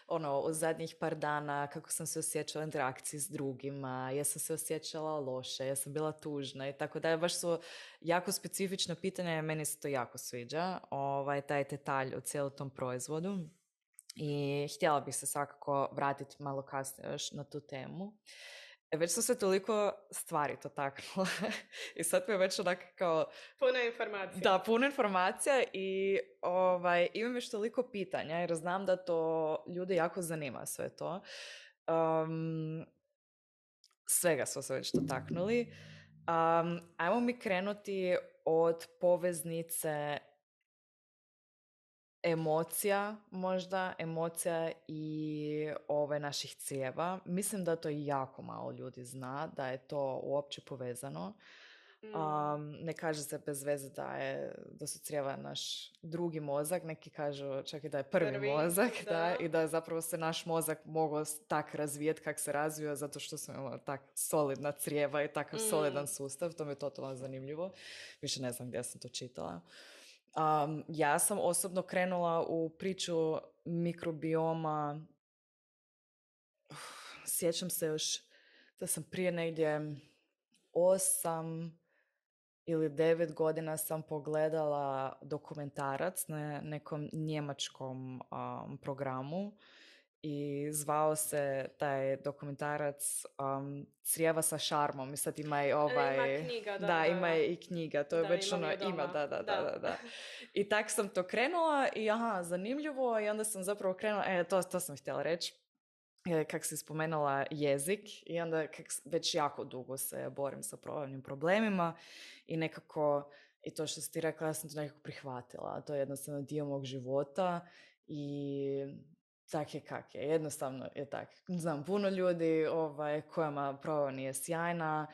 Speaker 2: ono, u zadnjih par dana, kako sam se osjećala u interakciji s drugima, jesam se osjećala loše, jesam bila tužna i tako da. Baš su jako specifično pitanje, meni se to jako sviđa, ovaj, taj detalj u cijelom tom proizvodu. I htjela bih se svakako vratiti malo kasnije još na tu temu. E, već su se toliko stvari to taknula i sad mi je već onak kao...
Speaker 1: Puno informacija.
Speaker 2: Da, puno informacija i ovaj, imam još toliko pitanja jer znam da to ljude jako zanima sve to. Um, svega smo se već dotaknuli. Um, ajmo mi krenuti od poveznice emocija, možda, emocija i ove naših crijeva. Mislim da to jako malo ljudi zna, da je to uopće povezano. Mm. Um, ne kaže se bez veze da, je, da su crijeva naš drugi mozak, neki kažu čak i da je prvi, prvi mozak, da. Da, i da je zapravo se naš mozak mogao tak razvijeti kak se razvio, zato što smo imali tak solidna crijeva i takav mm. solidan sustav. To mi je totalno zanimljivo. Više ne znam gdje sam to čitala. Um, ja sam osobno krenula u priču mikrobioma. Uf, sjećam se još da sam prije negdje osam ili devet godina sam pogledala dokumentarac na nekom njemačkom um, programu i zvao se taj dokumentarac um, Crijeva sa šarmom. I sad ima i ovaj...
Speaker 1: Ima knjiga, da.
Speaker 2: Da, da ima i knjiga. To je da, već ono, ima, da, da, da, da, da. I tak sam to krenula i aha, zanimljivo. I onda sam zapravo krenula, e, to, to sam htjela reći. Kak si spomenula jezik i onda kak već jako dugo se borim sa probavnim problemima i nekako, i to što si ti rekla, ja sam to nekako prihvatila. To je jednostavno dio mog života i tak je kak je. Jednostavno je tak. Znam puno ljudi ovaj, kojima probava nije sjajna.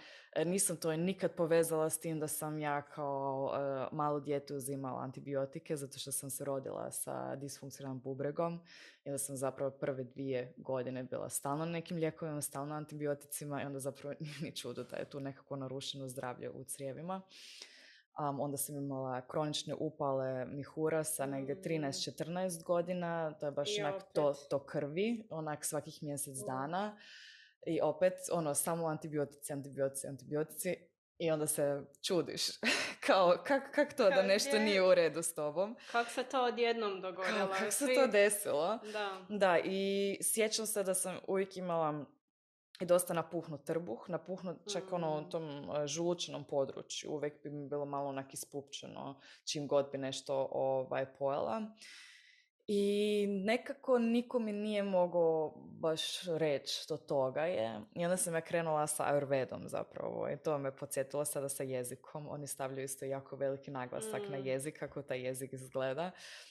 Speaker 2: Nisam to nikad povezala s tim da sam ja kao uh, malo dijete uzimala antibiotike zato što sam se rodila sa disfunkcionalnim bubregom i onda sam zapravo prve dvije godine bila stalno na nekim lijekovima, stalno antibioticima i onda zapravo nije ni čudo da je tu nekako narušeno zdravlje u crijevima. Um, onda sam imala kronične upale mihura sa negdje trinaest četrnaest godina, to je baš
Speaker 1: I
Speaker 2: onak to, to krvi, onak svakih mjesec mm. dana i opet ono samo antibiotici, antibiotici, antibiotici i onda se čudiš kao kak, kak to kak da nešto je? Nije u redu s tobom.
Speaker 1: Kako se to odjednom dogodilo?
Speaker 2: Kako se to desilo?
Speaker 1: Da.
Speaker 2: Da, i sjećam se da sam uvijek imala i dosta napuhnut trbuh, napuhnut čak mm. ono u tom žučnom području. Uvijek bi mi bilo malo onak ispupčeno čim god bi nešto ovaj, pojela. I nekako niko mi nije mogao baš reći što toga je. I onda sam ja krenula sa Ayurvedom zapravo. I to me podsjetilo sada sa jezikom. Oni stavljaju isto jako veliki naglasak mm. na jezik, kako taj jezik izgleda.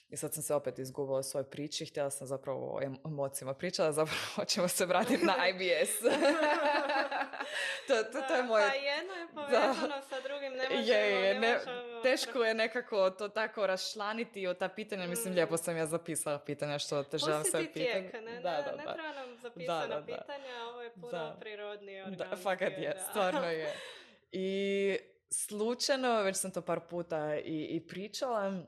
Speaker 2: I sad sam se opet izgubila u svojoj priči. Htjela sam zapravo o emocijama pričala, zapravo hoćemo se vratiti na I B S. to, to, to je moje...
Speaker 1: Pa jedno je povezano sa drugim, ne možemo,
Speaker 2: je, je,
Speaker 1: ne
Speaker 2: ne,
Speaker 1: možemo...
Speaker 2: Teško je nekako to tako raščlaniti od ta pitanja. Mislim, mm. lijepo sam ja zapisala pitanja što te želim sve pitati.
Speaker 1: Tijek, ne,
Speaker 2: da,
Speaker 1: ne,
Speaker 2: da,
Speaker 1: ne
Speaker 2: da.
Speaker 1: treba nam zapisana
Speaker 2: da, da,
Speaker 1: pitanja,
Speaker 2: da.
Speaker 1: ovo je puno
Speaker 2: da.
Speaker 1: prirodnije, organske.
Speaker 2: Da, fakat je,
Speaker 1: da.
Speaker 2: stvarno je. I slučajno, već sam to par puta i, i pričala,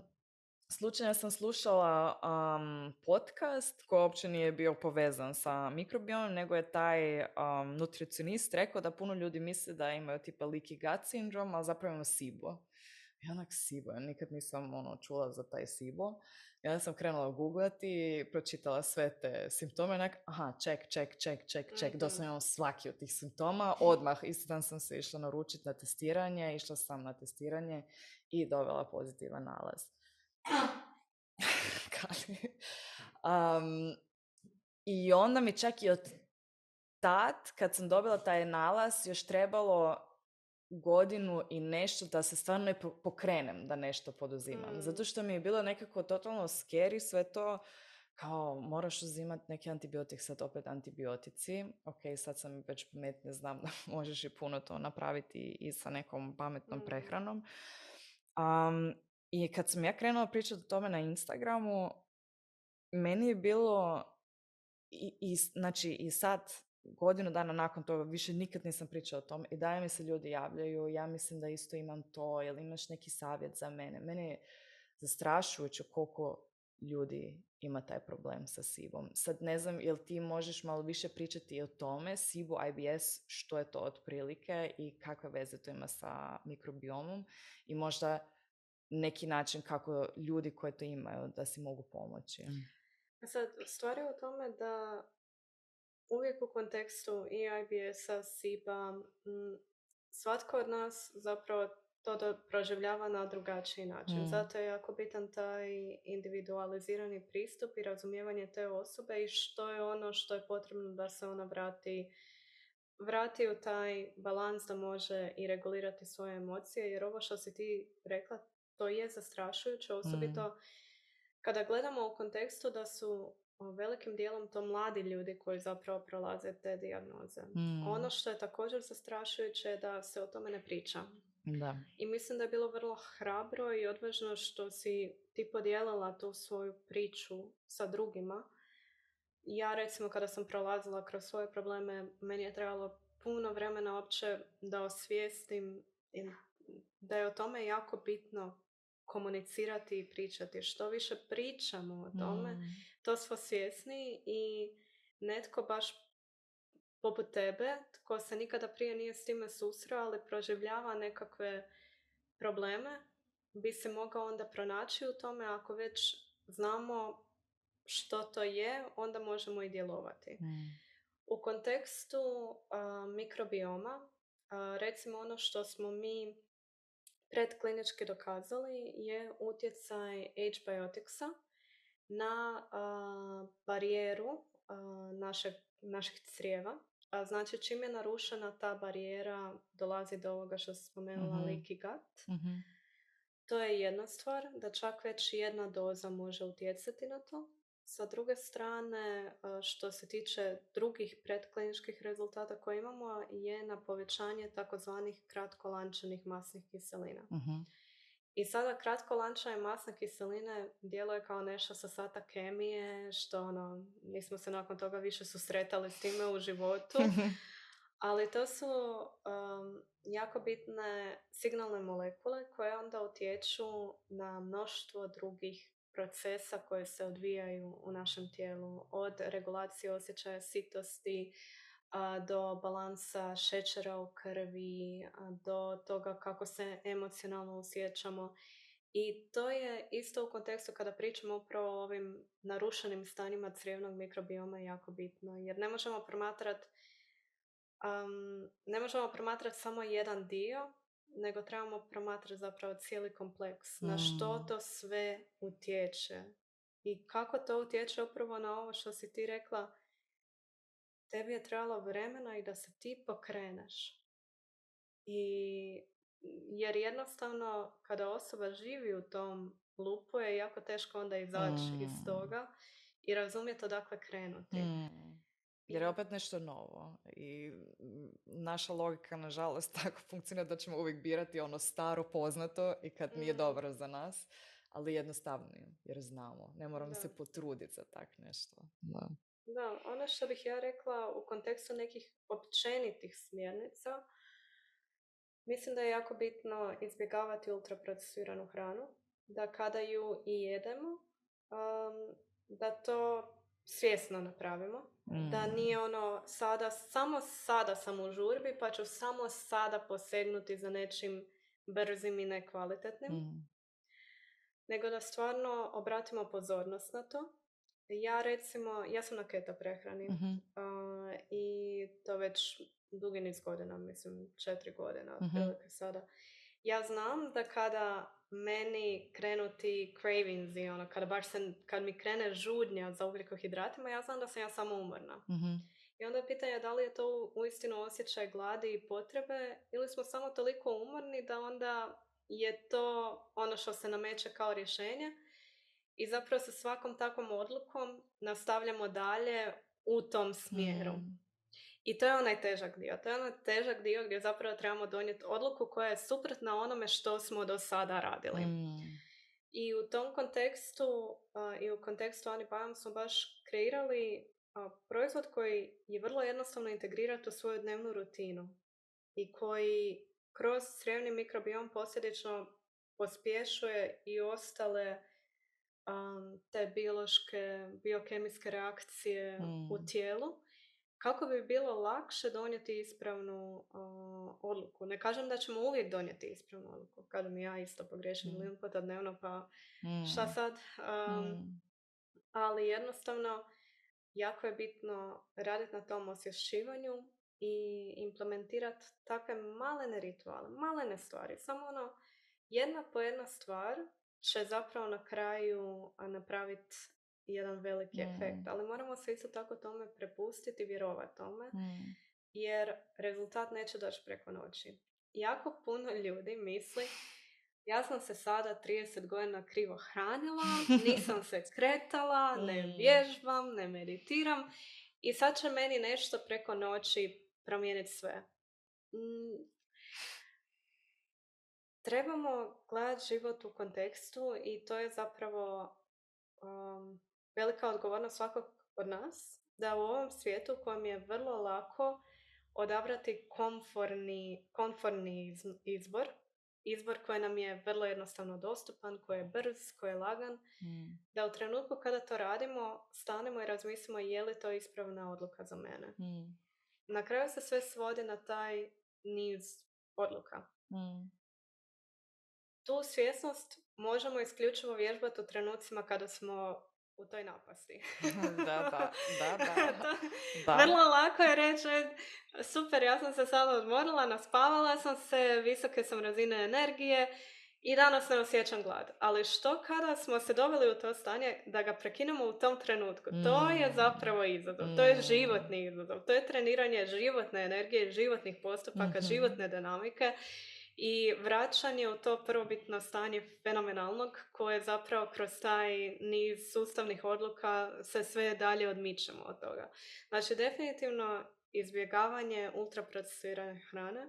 Speaker 2: slučajno sam slušala um, podcast koji uopće nije bio povezan sa mikrobiomom, nego je taj um, nutricionist rekao da puno ljudi misle da imaju tipa leaky gut sindrom, ali zapravo imaju SIBO. I onak SIBO, ja nikad nisam ono, čula za taj SIBO. I onda sam krenula googlati, pročitala sve te simptome, onak, aha, ček, ček, ček, ček, ček, mm-hmm. doslovno imam svaki od tih simptoma. Odmah, isti dan sam se išla naručiti na testiranje, išla sam na testiranje i dobila pozitivan nalaz. um, I onda mi čak i od tad, kad sam dobila taj nalaz, još trebalo godinu i nešto da se stvarno ne pokrenem da nešto poduzimam. Mm. Zato što mi je bilo nekako totalno scary sve to, kao moraš uzimati neki antibiotik, sad opet antibiotici. Ok, sad sam već pametnija, znam da možeš i puno to napraviti i sa nekom pametnom mm. prehranom. Um, I kad sam ja krenula pričati o tome na Instagramu, meni je bilo i, i, znači, i sad godinu dana nakon toga više nikad nisam pričala o tome i dalje mi se ljudi javljaju, ja mislim da isto imam to, jel imaš neki savjet za mene? Meni je zastrašujuće koliko ljudi ima taj problem sa SIBom. Sad ne znam, jel ti možeš malo više pričati o tome, SIBO, I B S, što je to otprilike i kakve veze to ima sa mikrobiomom i možda neki način kako ljudi koji to imaju da si mogu pomoći.
Speaker 1: Sad, stvar je u tome da uvijek u kontekstu i I B S-a, SIBA, svatko od nas zapravo to proživljava na drugačiji način. Mm. Zato je jako bitan taj individualizirani pristup i razumijevanje te osobe i što je ono što je potrebno da se ona vrati, vrati u taj balans da može i regulirati svoje emocije. Jer ovo što si ti rekla, to je zastrašujuće, osobito mm. kada gledamo u kontekstu da su velikim dijelom to mladi ljudi koji zapravo prolaze te dijagnoze. Mm. Ono što je također zastrašujuće je da se o tome ne priča.
Speaker 2: Da.
Speaker 1: I mislim da je bilo vrlo hrabro i odvažno što si ti podijelila tu svoju priču sa drugima. Ja recimo kada sam prolazila kroz svoje probleme, meni je trebalo puno vremena uopće da osvijestim da je o tome jako bitno komunicirati i pričati. Što više pričamo o tome, mm. to smo svjesni i netko baš poput tebe, tko se nikada prije nije s time susreo, ali proživljava nekakve probleme, bi se mogao onda pronaći u tome. Ako već znamo što to je, onda možemo i djelovati. Mm. U kontekstu uh, mikrobioma, uh, recimo ono što smo mi predklinički dokazali je utjecaj H-bioticsa na uh, barijeru uh, našeg, naših crijeva. A znači čim je narušena ta barijera, dolazi do ovoga što sam spomenula, mm-hmm. leaky gut. Mm-hmm. To je jedna stvar, da čak već jedna doza može utjecati na to. Sa druge strane, što se tiče drugih predkliničkih rezultata koje imamo, je na povećanje takozvanih kratkolančanih masnih kiselina. Mm-hmm. I sada kratkolančane masne kiseline djeluje kao nešto sa sata kemije, što ono, nismo se nakon toga više susretali s time u životu. Ali to su um, jako bitne signalne molekule koje onda utječu na mnoštvo drugih procesa koje se odvijaju u našem tijelu. Od regulacije osjećaja sitosti a, do balansa šećera u krvi, a, do toga kako se emocionalno osjećamo. I to je isto u kontekstu kada pričamo upravo o ovim narušenim stanjima crijevnog mikrobioma jako bitno. Jer ne možemo promatrati um, ne možemo promatrati samo jedan dio, nego trebamo promatrati zapravo cijeli kompleks. Mm. Na što to sve utječe I kako to utječe upravo na ovo što si ti rekla, tebi je trebalo vremena i da se ti pokreneš. I jer jednostavno kada osoba živi u tom lupu je jako teško onda izaći iz
Speaker 2: Mm.
Speaker 1: toga i razumjeti odakle krenuti.
Speaker 2: Mm. Jer je opet nešto novo i naša logika nažalost tako funkcionira da ćemo uvijek birati ono staro poznato i kad nije
Speaker 1: Mm.
Speaker 2: dobro za nas, ali jednostavnije jer znamo, ne moramo
Speaker 1: Da.
Speaker 2: se potruditi za tak nešto. Da.
Speaker 1: Da, ono što bih ja rekla u kontekstu nekih općenitih smjernica, mislim da je jako bitno izbjegavati ultraprocesiranu hranu, da kada ju i jedemo, um, da to svjesno napravimo,
Speaker 2: Mm.
Speaker 1: da nije ono sada, samo sada sam u žurbi pa ću samo sada posegnuti za nečim brzim i nekvalitetnim,
Speaker 2: Mm.
Speaker 1: nego da stvarno obratimo pozornost na to. Ja recimo, ja sam na keto prehrani
Speaker 2: Mhm.
Speaker 1: uh, i to već dugi niz godina, mislim četiri godina
Speaker 2: Mhm.
Speaker 1: otprilike sada. Ja znam da kada meni krenu ti cravings i ono, kada baš se, kad mi krene žudnja za ugljikohidratima, ja znam da sam ja samo umorna.
Speaker 2: Mhm.
Speaker 1: I onda je pitanje da li je to uistinu osjećaj gladi i potrebe ili smo samo toliko umorni da onda je to ono što se nameće kao rješenje i zapravo sa svakom takvom odlukom nastavljamo dalje u tom smjeru.
Speaker 2: Mm.
Speaker 1: I to je onaj težak dio. To je onaj težak dio gdje zapravo trebamo donijeti odluku koja je suprotna onome što smo do sada radili.
Speaker 2: Mm.
Speaker 1: I u tom kontekstu uh, i u kontekstu Ani Bajam smo baš kreirali uh, proizvod koji je vrlo jednostavno integrirati u svoju dnevnu rutinu i koji kroz crijevni mikrobiom posljedično pospješuje i ostale um, te biološke, biokemijske reakcije
Speaker 2: Mm.
Speaker 1: u tijelu kako bi bilo lakše donijeti ispravnu uh, odluku. Ne kažem da ćemo uvijek donijeti ispravnu odluku. Kažem, ja isto pogriješim
Speaker 2: Mm.
Speaker 1: milijun puta dnevno, pa
Speaker 2: Mm.
Speaker 1: šta sad? Um,
Speaker 2: Mm.
Speaker 1: ali jednostavno, jako je bitno raditi na tom osvješćivanju i implementirati takve malene rituale, malene stvari. Samo ono, jedna po jedna stvar će zapravo na kraju a, napraviti jedan veliki
Speaker 2: Mm.
Speaker 1: efekt. Ali moramo se isto tako tome prepustiti i vjerovati tome,
Speaker 2: Mm.
Speaker 1: jer rezultat neće doći preko noći. Jako puno ljudi misli, ja sam se sada trideset godina krivo hranila, nisam se kretala, ne
Speaker 2: Mm.
Speaker 1: vježbam, ne meditiram i sad će meni nešto preko noći promijeniti sve. Mm, trebamo gledati život u kontekstu i to je zapravo um, velika odgovornost svakog od nas, da u ovom svijetu u kojem je vrlo lako odabrati komforni, komforni iz, izbor, izbor koji nam je vrlo jednostavno dostupan, koji je brz, koji je lagan,
Speaker 2: Mm.
Speaker 1: da u trenutku kada to radimo, stanemo i razmislimo je li to ispravna odluka za mene.
Speaker 2: Mm.
Speaker 1: Na kraju se sve svodi na taj niz odluka.
Speaker 2: Mm.
Speaker 1: Tu svjesnost možemo isključivo vježbati u trenucima kada smo u toj napasti.
Speaker 2: da, da, da, da.
Speaker 1: to,
Speaker 2: da.
Speaker 1: Vrlo lako je reći, super, ja sam se sada odmorila, naspavala sam se, visoke sam razine energije i danas ne osjećam glad. Ali što kada smo se doveli u to stanje da ga prekinemo u tom trenutku?
Speaker 2: Mm.
Speaker 1: To je zapravo izazov,
Speaker 2: Mm.
Speaker 1: to je životni izazov, to je treniranje životne energije, životnih postupaka,
Speaker 2: Mm-hmm.
Speaker 1: životne dinamike. I vraćanje u to prvobitno stanje fenomenalnog koje zapravo kroz taj niz sustavnih odluka se sve dalje odmičemo od toga. Znači, definitivno izbjegavanje ultraprocesirane hrane.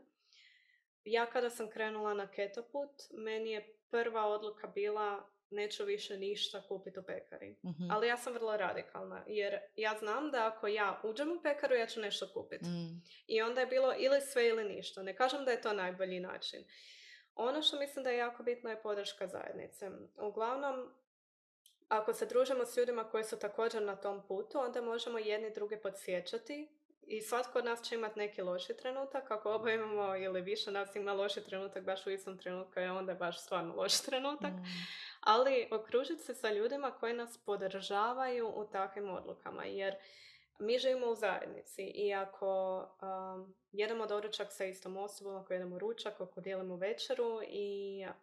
Speaker 1: Ja kada sam krenula na keto put, meni je prva odluka bila neću više ništa kupiti u pekari.
Speaker 2: Mm-hmm.
Speaker 1: Ali ja sam vrlo radikalna, jer ja znam da ako ja uđem u pekaru, ja ću nešto kupiti.
Speaker 2: Mm.
Speaker 1: I onda je bilo ili sve ili ništa. Ne kažem da je to najbolji način. Ono što mislim da je jako bitno je podrška zajednice. Uglavnom, ako se družimo s ljudima koji su također na tom putu, onda možemo jedni druge podsjećati i svatko od nas će imati neki loši trenutak. Ako oba imamo ili više nas ima loši trenutak baš u istom trenutku, je onda baš stvarno loš trenutak. Mm. Ali okružiti se sa ljudima koji nas podržavaju u takvim odlukama, jer mi živimo u zajednici i ako um, jedemo doručak sa istom osobom, ako jedemo ručak, ako dijelimo večeru i uh,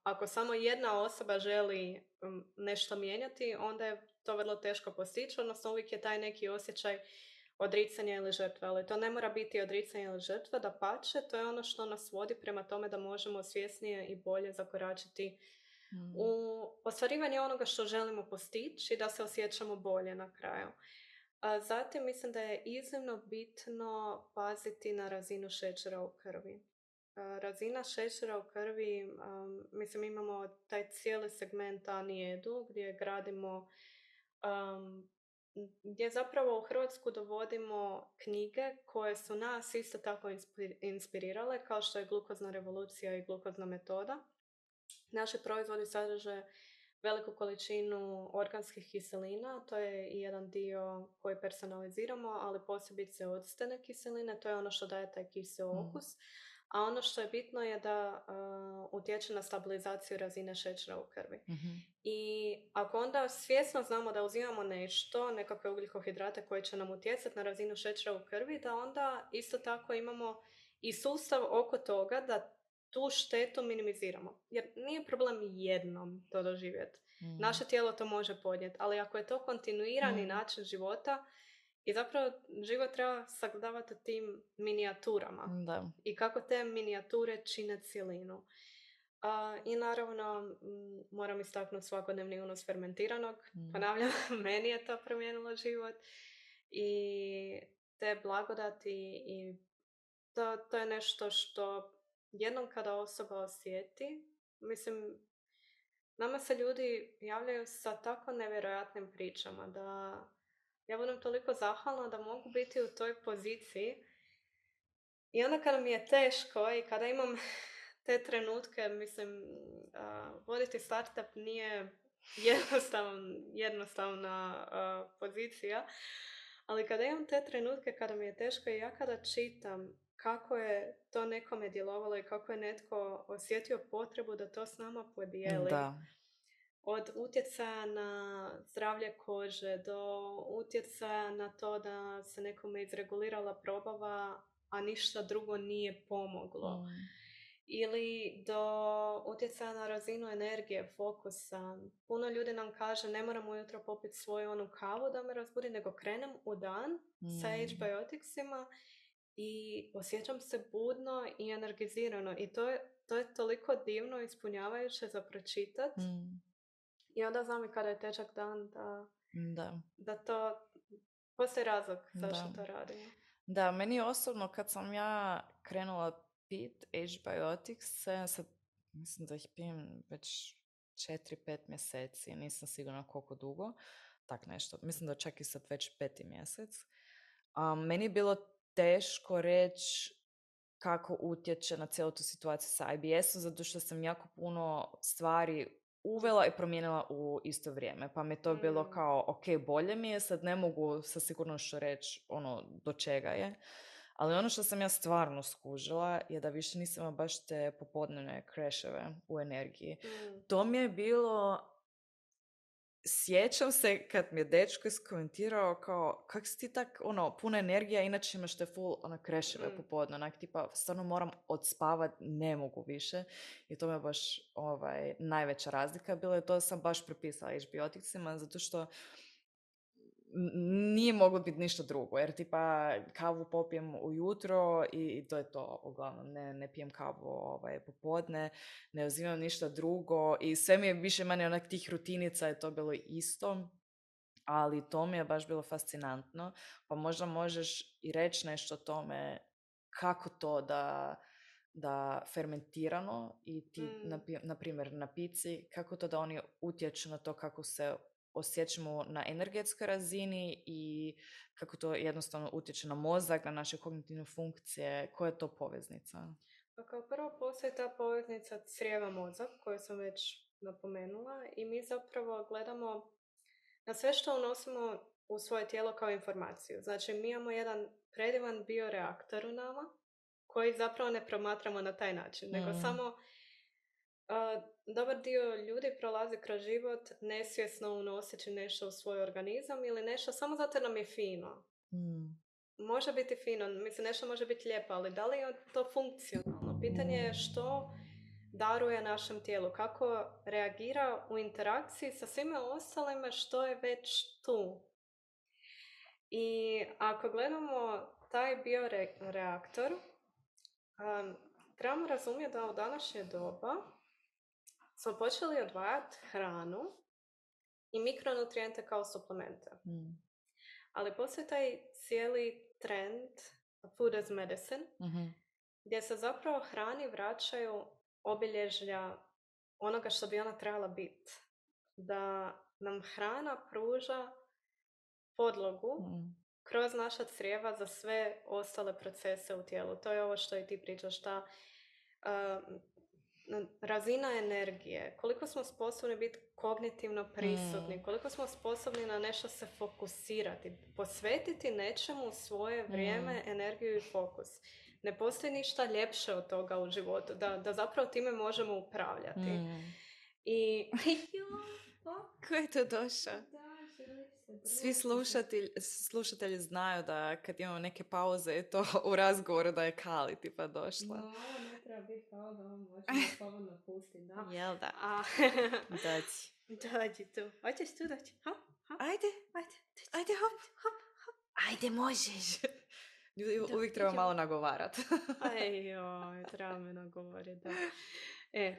Speaker 1: ako samo jedna osoba želi um, nešto mijenjati, onda je to vrlo teško postići, odnosno uvijek je taj neki osjećaj odricanja ili žrtve, ali to ne mora biti odricanje ili žrtva, dapače, to je ono što nas vodi prema tome da možemo svjesnije i bolje zakoračiti
Speaker 2: Mm.
Speaker 1: u ostvarivanje onoga što želimo postići i da se osjećamo bolje na kraju. A zatim mislim da je iznimno bitno paziti na razinu šećera u krvi. A, razina šećera u krvi, um, mislim imamo taj cijeli segment Anijedu gdje gradimo, um, gdje zapravo u Hrvatsku dovodimo knjige koje su nas isto tako inspi- inspirirale, kao što je Glukozna revolucija i Glukozna metoda. Naši proizvodi sadrže veliku količinu organskih kiselina, to je i jedan dio koji personaliziramo, ali posebice octene kiseline, to je ono što daje taj kiseo
Speaker 2: Mm.
Speaker 1: okus. A ono što je bitno je da uh, utječe na stabilizaciju razine šećera u krvi.
Speaker 2: Mhm.
Speaker 1: I ako onda svjesno znamo da uzimamo nešto, nekakve ugljikohidrate koji će nam utjecati na razinu šećera u krvi, da onda isto tako imamo i sustav oko toga da tu štetu minimiziramo. Jer nije problem jednom to doživjeti.
Speaker 2: Mm.
Speaker 1: Naše tijelo to može podnijeti, ali ako je to kontinuirani
Speaker 2: Mm.
Speaker 1: način života, i zapravo život treba sagledavati u tim minijaturama
Speaker 2: Da.
Speaker 1: i kako te minijature čine cjelinu. A, I naravno, m, moram istaknuti svakodnevni unos fermentiranog.
Speaker 2: Mm.
Speaker 1: Ponavljam, meni je to promijenilo život. I te blagodati i to, to je nešto što jednom kada osoba osjeti, mislim, nama se ljudi javljaju sa tako nevjerojatnim pričama da ja budem toliko zahvalna da mogu biti u toj poziciji. I onda kada mi je teško i kada imam te trenutke, mislim, uh, voditi startup nije jednostavna, jednostavna uh, pozicija, ali kada imam te trenutke kada mi je teško i ja kada čitam kako je to nekome djelovalo i kako je netko osjetio potrebu da to s nama podijeli,
Speaker 2: Da.
Speaker 1: od utjecaja na zdravlje kože do utjecaja na to da se nekome izregulirala probava, a ništa drugo nije pomoglo.
Speaker 2: Mm.
Speaker 1: Ili do utjecaja na razinu energije, fokusa. Puno ljudi nam kaže ne moram ujutro popiti svoju onu kavu da me razbudi, nego krenem u dan
Speaker 2: Mm.
Speaker 1: sa H-bioticsima i osjećam se budno i energizirano. I to je, to je toliko divno i ispunjavajuće za pročitati.
Speaker 2: Mm.
Speaker 1: I onda znam i kada je težak dan da,
Speaker 2: Da.
Speaker 1: da to postoji razlog zašto
Speaker 2: Da.
Speaker 1: to radimo.
Speaker 2: Da, meni osobno kad sam ja krenula pit H-biotics, ja sad mislim da ih pijem već četiri pet mjeseci, nisam sigurna koliko dugo, tak nešto. Mislim da čak i sad već peti mjesec. Um, meni je bilo teško reći kako utječe na cijelu tu situaciju sa I B S-om, zato što sam jako puno stvari uvela i promijenila u isto vrijeme. Pa mi je to
Speaker 1: Mm.
Speaker 2: bilo kao, ok, bolje mi je, sad ne mogu sa sigurnošću reći ono do čega je. Ali ono što sam ja stvarno skužila je da više nisam imala baš te popodnevne crasheve u energiji.
Speaker 1: Mm.
Speaker 2: To mi je bilo... Sjećam se kad mi je dečko iskomentirao kao, kak si ti tak, ono, puna energija, inače imaš te full, ono, crasheve
Speaker 1: Mm.
Speaker 2: popodne, onak, tipa, stvarno moram odspavat, ne mogu više. I to mi je baš, ovaj, najveća razlika bila i to sam baš prepisala H-bioticsima, zato što n- nije moglo biti ništa drugo, jer tipa kavu popijem ujutro i, i to je to, uglavnom, ne, ne pijem kavu ovaj, popodne, ne uzimam ništa drugo i sve mi je više manje onak tih rutinica je to bilo isto, ali to mi je baš bilo fascinantno, pa možda možeš i reći nešto o tome kako to da, da fermentirano i ti,
Speaker 1: Mm.
Speaker 2: na, na primjer na pici, kako to da oni utječu na to kako se osjećamo na energetskoj razini i kako to jednostavno utječe na mozak, na naše kognitivne funkcije, koja je to poveznica?
Speaker 1: Pa kao prvo postoji ta poveznica crijeva-mozak koju sam već napomenula i mi zapravo gledamo na sve što unosimo u svoje tijelo kao informaciju. Znači mi imamo jedan predivan bioreaktor u nama koji zapravo ne promatramo na taj način, nego
Speaker 2: Mm.
Speaker 1: samo Uh, dobar dio ljudi prolazi kroz život nesvjesno unoseći nešto u svoj organizam ili nešto samo zato jer nam je fino.
Speaker 2: Mm.
Speaker 1: Može biti fino, mislim nešto može biti lijepo, ali da li je to funkcionalno? Pitanje je što daruje našem tijelu, kako reagira u interakciji sa svime ostalime što je već tu. I ako gledamo taj bioreaktor, um, trebamo razumjeti da u današnje doba smo počeli odvajati hranu i mikronutrijente kao suplemente.
Speaker 2: Mm.
Speaker 1: Ali postoji taj cijeli trend food as medicine,
Speaker 2: Mm-hmm.
Speaker 1: gdje se zapravo hrani vraćaju obilježja onoga što bi ona trebala biti. Da nam hrana pruža podlogu mm. kroz naša crijeva za sve ostale procese u tijelu. To je ovo što i ti pričaš, ta uh, razina energije, koliko smo sposobni biti kognitivno prisutni, mm. koliko smo sposobni na nešto se fokusirati, posvetiti nečemu svoje vrijeme, mm. energiju i fokus. Ne postoji ništa ljepše od toga u životu, da, da zapravo time možemo upravljati. Mm. I...
Speaker 2: Ko je to došao? Svi slušatelji, slušatelji znaju da kad imamo neke pauze je to u razgovoru da je Kali tipa došla.
Speaker 1: No, ne treba biti pauza, ovo možemo slobodno pustiti, da.
Speaker 2: Jel da?
Speaker 1: A...
Speaker 2: Dođi.
Speaker 1: Dođi tu. Hoćeš tu doći? Hop, hop.
Speaker 2: Ajde, ajde, ajde, hop, hop, hop. Ajde, možeš. Ljudi uvijek treba malo nagovarati.
Speaker 1: Aj joj, treba me nagovoriti, da. E,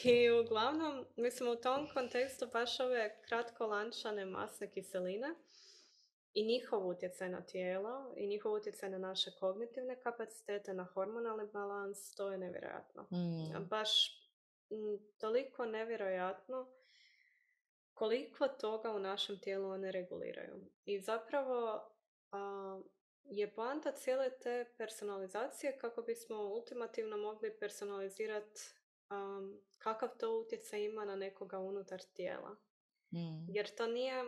Speaker 1: i uglavnom, mislim, u tom kontekstu baš ove kratkolančane masne kiseline i njihov utjecaj na tijelo i njihov utjecaj na naše kognitivne kapacitete, na hormonalni balans, to je nevjerojatno. Mm. Baš m, toliko nevjerojatno koliko toga u našem tijelu one reguliraju. I zapravo a, je poanta cijele te personalizacije kako bismo ultimativno mogli personalizirati um, kakav to utjecaj ima na nekoga unutar tijela. Mm. Jer to nije,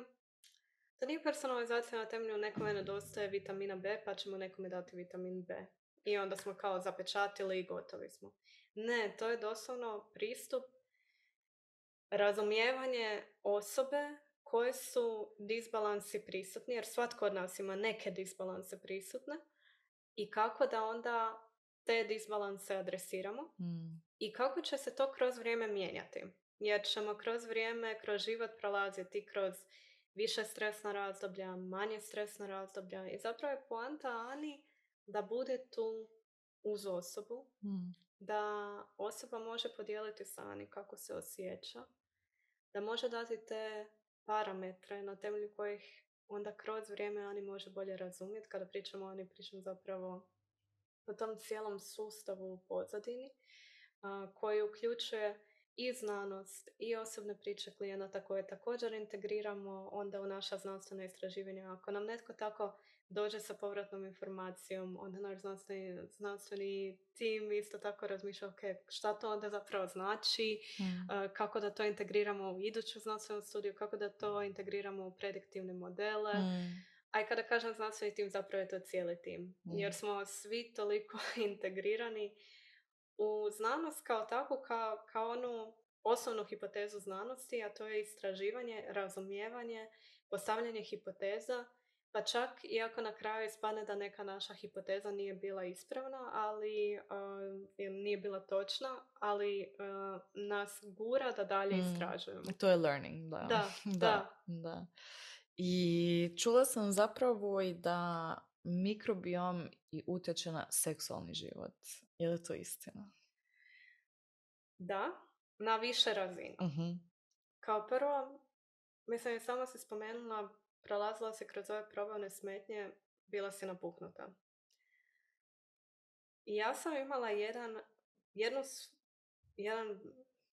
Speaker 1: to nije personalizacija na temelju nekome nedostaje vitamina B pa ćemo nekome dati vitamin B. I onda smo kao zapečatili i gotovi smo. Ne, to je doslovno pristup razumijevanje osobe koje su disbalansi prisutni, jer svatko od nas ima neke disbalanse prisutne i kako da onda te disbalanse adresiramo mm. i kako će se to kroz vrijeme mijenjati. Jer ćemo kroz vrijeme, kroz život prolaziti kroz više stresna razdoblja, manje stresna razdoblja i zapravo je poanta Ani da bude tu uz osobu, mm. da osoba može podijeliti sa Ani kako se osjeća, da može dati te parametre na temelju kojih onda kroz vrijeme Ani može bolje razumjeti. Kada pričamo o Ani, pričam zapravo o tom cijelom sustavu u pozadini a, koji uključuje i znanost i osobne priče klijenata koje također integriramo onda u naša znanstvena istraživanja. Ako nam netko tako dođe sa povratnom informacijom, onda naš znanstveni, znanstveni tim isto tako razmišlja ok, šta to onda zapravo znači, mm. uh, kako da to integriramo u iduću znanstvenu studiju, kako da to integriramo u prediktivne modele. Mm. A i kada kažem znanstveni tim, zapravo je to cijeli tim. Mm. Jer smo svi toliko integrirani u znanost kao takvu, kao, kao onu osnovnu hipotezu znanosti, a to je istraživanje, razumijevanje, postavljanje hipoteza, pa čak iako na kraju ispadne da neka naša hipoteza nije bila ispravna, ali uh, nije bila točna, ali uh, nas gura da dalje mm. istražujemo.
Speaker 2: To je learning, da.
Speaker 1: Da, da.
Speaker 2: da, da. I čula sam zapravo i da mikrobiom i utječe na seksualni život. Je li to istina?
Speaker 1: Da, na više razina. Uh-huh. Kao prvo, mislim, samo si spomenula, prolazila si kroz ove probavne smetnje, bila si napuhnuta. I ja sam imala jedan, jednu, jedan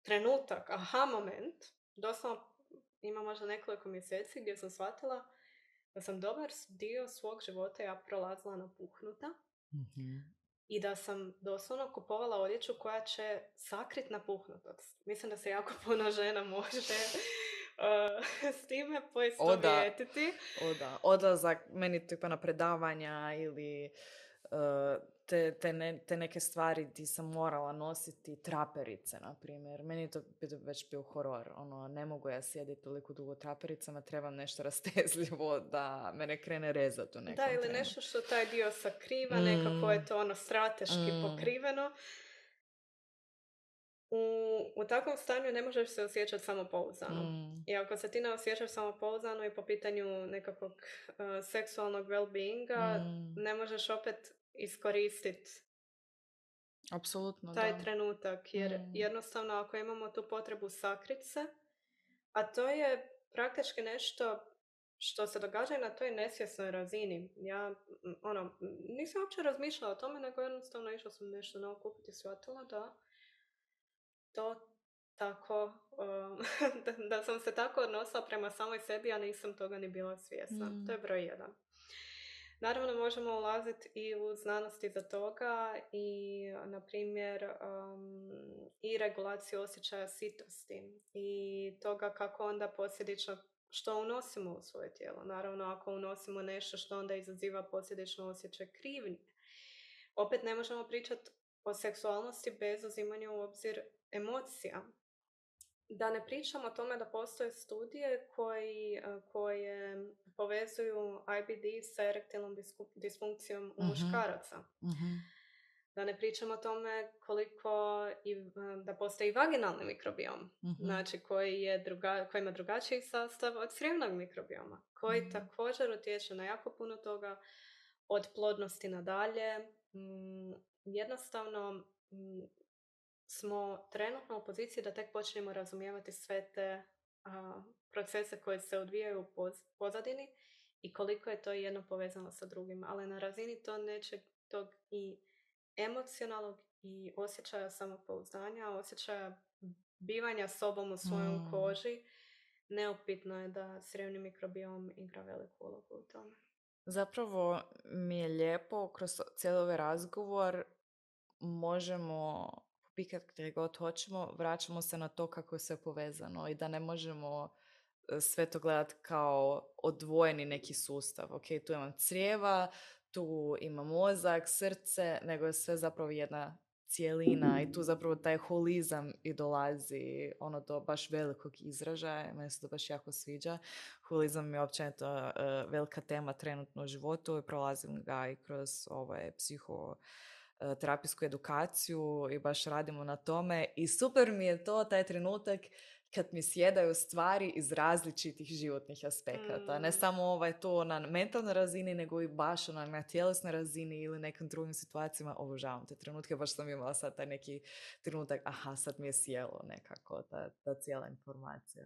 Speaker 1: trenutak, aha moment, doslovno ima možda nekoliko mjeseci gdje sam shvatila da sam dobar dio svog života ja prolazila napuhnuta. Mm-hmm. I da sam doslovno kupovala odjeću koja će sakrit napuhnutost. Mislim da se jako puno žena može uh, s time poistovjetiti.
Speaker 2: O da, odlazak meni tipa na predavanja ili uh, te, te, ne, te neke stvari ti sam morala nositi traperice, na primjer. Meni je to već bio horor. Ono, ne mogu ja sjediti toliko dugo trapericama, trebam nešto rastezljivo da me ne krene rezati u nekom
Speaker 1: Da, ili
Speaker 2: trenu.
Speaker 1: nešto što taj dio sakriva,
Speaker 2: mm.
Speaker 1: nekako je to ono strateški
Speaker 2: mm.
Speaker 1: pokriveno. U, u takvom stanju ne možeš se osjećati samopouzdano. Mm. I ako se ti ne osjećaš samopouzdano i po pitanju nekakvog uh, seksualnog well-beinga, mm. ne možeš opet iskoristiti
Speaker 2: apsolutno
Speaker 1: taj
Speaker 2: da.
Speaker 1: trenutak. Jer mm. jednostavno ako imamo tu potrebu sakrit se, a to je praktički nešto što se događa i na toj nesvjesnoj razini. Ja ono, nisam uopće razmišljala o tome, nego jednostavno išla sam nešto novo kupiti i shvatila da to tako, um, da, da sam se tako odnosila prema samoj sebi, a nisam toga ni bila svjesna. Mm. To je broj jedan. Naravno, možemo ulaziti i u znanost iza toga i, na primjer, um, i regulaciju osjećaja sitosti i toga kako onda posljedično što unosimo u svoje tijelo. Naravno, ako unosimo nešto što onda izaziva posljedično osjećaj krivnje. Opet ne možemo pričati o seksualnosti bez uzimanja u obzir emocija. Da ne pričamo o tome da postoje studije koji, koje povezuju I B D sa erektilnom disfunkcijom u uh-huh. muškaraca. Uh-huh. Da ne pričamo o tome koliko i, da postoji vaginalni mikrobiom, uh-huh. znači koji, je druga, koji ima drugačiji sastav od crijevnog mikrobioma, koji uh-huh. također utječe na jako puno toga, od plodnosti nadalje. Mm, jednostavno mm, smo trenutno u poziciji da tek počnemo razumijevati sve te a, procese koji se odvijaju u poz, pozadini i koliko je to jedno povezano sa drugim. Ali na razini to nečeg tog i emocionalnog i osjećaja samopouzdanja, osjećaja bivanja sobom u svojom mm. koži, neupitno je da crijevni mikrobiom igra veliku ulogu u tome.
Speaker 2: Zapravo mi je lijepo kroz cijeli ovaj razgovor možemo pikat gdje god hoćemo, vraćamo se na to kako je sve povezano i da ne možemo sve to gledati kao odvojeni neki sustav. Ok, tu imam crijeva, tu imam mozak, srce, nego je sve zapravo jedna cijelina i tu zapravo taj holizam i dolazi ono do baš velikog izražaja. Meni se to baš jako sviđa. Holizam je općenito uh, velika tema trenutno u životu i prolazim ga i kroz ovaj psiho terapijsku edukaciju i baš radimo na tome i super mi je to, taj trenutak kad mi sjedaju stvari iz različitih životnih aspekata. Mm. Ne samo ovaj to na mentalnoj razini, nego i baš ona na tjelesnoj razini ili nekim drugim situacijama. Obožavam te trenutke, baš sam imala sad taj neki trenutak, aha, sad mi je sjelo nekako ta, ta cijela informacija.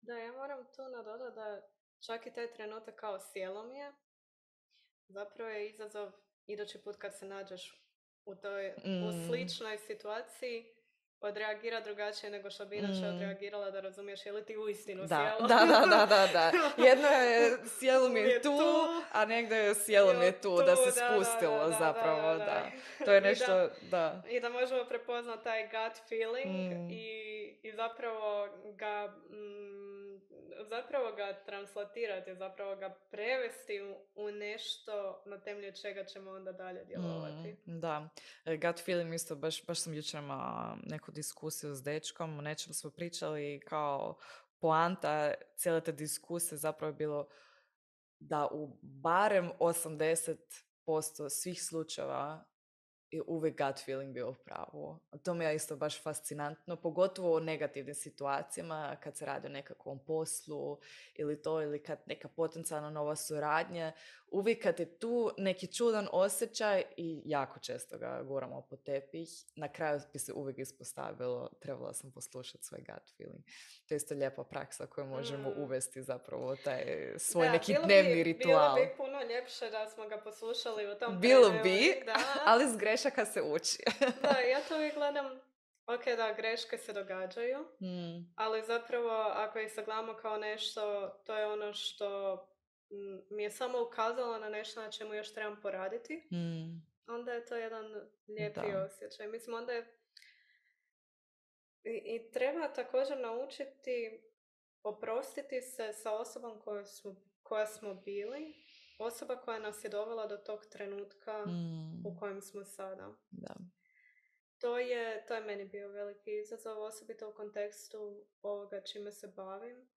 Speaker 1: Da, ja moram tu nadodati da čak i taj trenutak kao sjelo mi je, zapravo je izazov idući put kad se nađeš u toj mm. u sličnoj situaciji, odreagira drugačije nego što bi inače mm. odreagirala, da razumiješ je li ti uistinu
Speaker 2: da.
Speaker 1: sjelo.
Speaker 2: Da, da, da, da, da. Jedno je sjelo mi je tu, a negdje je sjelo mi je tu, da se spustilo da, da, zapravo, da, da, da. da. To je nešto,
Speaker 1: I da,
Speaker 2: da.
Speaker 1: I da možemo prepoznati taj gut feeling mm. i, i zapravo ga mm, zapravo ga translatirati, zapravo ga prevesti u, u nešto na temelju čega ćemo onda dalje djelovati.
Speaker 2: Mm, da, gut feeling isto, baš, baš sam jučer imala neku diskusiju s dečkom, o nečem smo pričali kao poanta cijele te diskusije zapravo je bilo da u barem osamdeset posto svih slučajeva i uvijek gut feeling bio u pravu. To mi je isto baš fascinantno, pogotovo u negativnim situacijama, kad se radi o nekakvom poslu ili to, ili kad neka potencijalna nova suradnja. Uvijek kad je tu neki čudan osjećaj i jako često ga guramo po tepih, na kraju bi se uvijek ispostavilo, trebala sam poslušati svoj gut feeling. To je isto lijepa praksa koju možemo mm. uvesti zapravo taj svoj
Speaker 1: da,
Speaker 2: neki
Speaker 1: bilo
Speaker 2: dnevni
Speaker 1: bi,
Speaker 2: ritual.
Speaker 1: Bilo bi puno ljepše da smo ga poslušali u tom
Speaker 2: Bilo
Speaker 1: trenelu,
Speaker 2: bi,
Speaker 1: da.
Speaker 2: ali s grešaka se uči.
Speaker 1: Da, ja to uvijek gledam, ok, da, greške se događaju, mm. ali zapravo ako ih sagledamo kao nešto, to je ono što mi je samo ukazalo na nešto na čemu još trebam poraditi, mm. onda je to jedan lijepi da. osjećaj. Mislim, onda je I, i treba također naučiti oprostiti se sa osobom koja smo, koja smo bili osoba koja nas je dovela do tog trenutka
Speaker 2: Mm.
Speaker 1: u kojem smo sada.
Speaker 2: Da.
Speaker 1: To je, to je meni bio veliki izazov, osobito u kontekstu ovoga čime se bavim,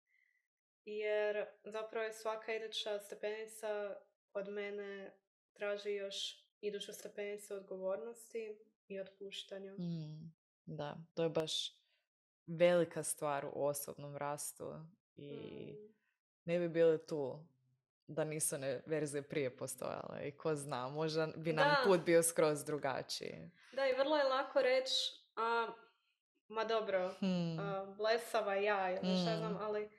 Speaker 1: jer zapravo je svaka iduća stepenica od mene traži još iduću stepenicu odgovornosti i otpuštanja.
Speaker 2: Mm. Da, to je baš velika stvar u osobnom rastu i
Speaker 1: Mm.
Speaker 2: ne bi bili tu da nisu one verzije prije postojale i ko zna, možda bi nam
Speaker 1: Da.
Speaker 2: put bio skroz drugačiji.
Speaker 1: Da, i vrlo je lako reći, a, ma dobro,
Speaker 2: Hmm.
Speaker 1: a, blesava ja ili šta znam,
Speaker 2: Mm.
Speaker 1: ali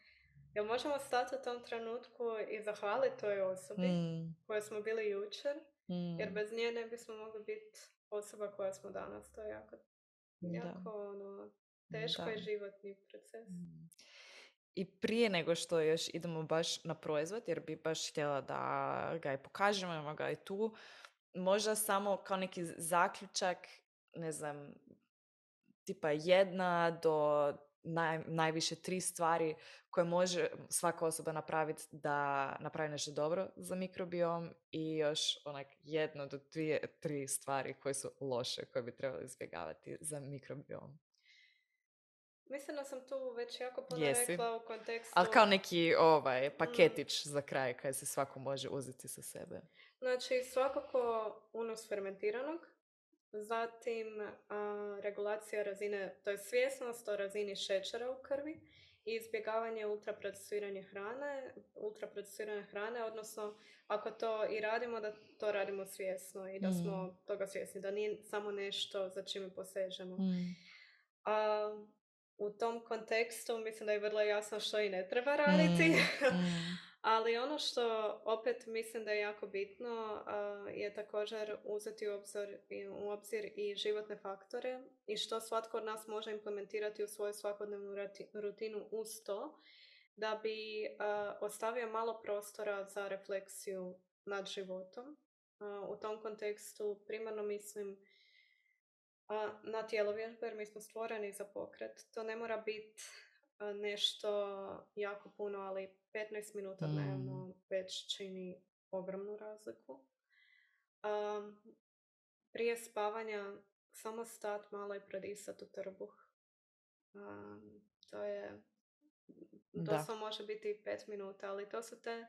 Speaker 1: jel možemo stati u tom trenutku i zahvaliti toj osobi
Speaker 2: Mm.
Speaker 1: koje smo bili jučer,
Speaker 2: Mm.
Speaker 1: jer bez nje ne bismo mogli biti osoba koja smo danas. To je jako, jako ono, teško
Speaker 2: Da.
Speaker 1: i životni proces.
Speaker 2: Mm. I prije nego što još idemo baš na proizvod, jer bi baš htjela da ga i pokažemo, imamo ga i tu, možda samo kao neki zaključak, ne znam, tipa jedna do naj, najviše tri stvari koje može svaka osoba napraviti da napravi nešto dobro za mikrobiom i još onak jedno do dvije, tri stvari koje su loše, koje bi trebali izbjegavati za mikrobiom.
Speaker 1: Mislim da sam tu već jako puno
Speaker 2: Jesi.
Speaker 1: rekla u kontekstu...
Speaker 2: Ali kao neki ovaj, paketić mm. za kraj kaj se svako može uzeti sa sebe.
Speaker 1: Znači, svakako unos fermentiranog, zatim a, regulacija razine, to je svjesnost o razini šećera u krvi i izbjegavanje ultraprocesirane hrane, ultraprocesirane hrane, odnosno ako to i radimo, da to radimo svjesno i da mm. smo toga svjesni, da nije samo nešto za čime posežemo. Mm. A, u tom kontekstu mislim da je vrlo jasno što i ne treba raditi. Mm. Mm. Ali ono što opet mislim da je jako bitno uh, je također uzeti u obzir, u obzir i životne faktore i što svatko od nas može implementirati u svoju svakodnevnu rutinu uz to da bi uh, ostavio malo prostora za refleksiju nad životom. Uh, u tom kontekstu primarno mislim uh, na tjelovježbe, jer mi smo stvoreni za pokret. To ne mora biti uh, nešto jako puno, ali petnaest minuta dnevno mm. već čini ogromnu razliku. Um, prije spavanja samo stat malo i prodisat u trbuh. Um, to je doslovno može biti pet minuta, ali to su te,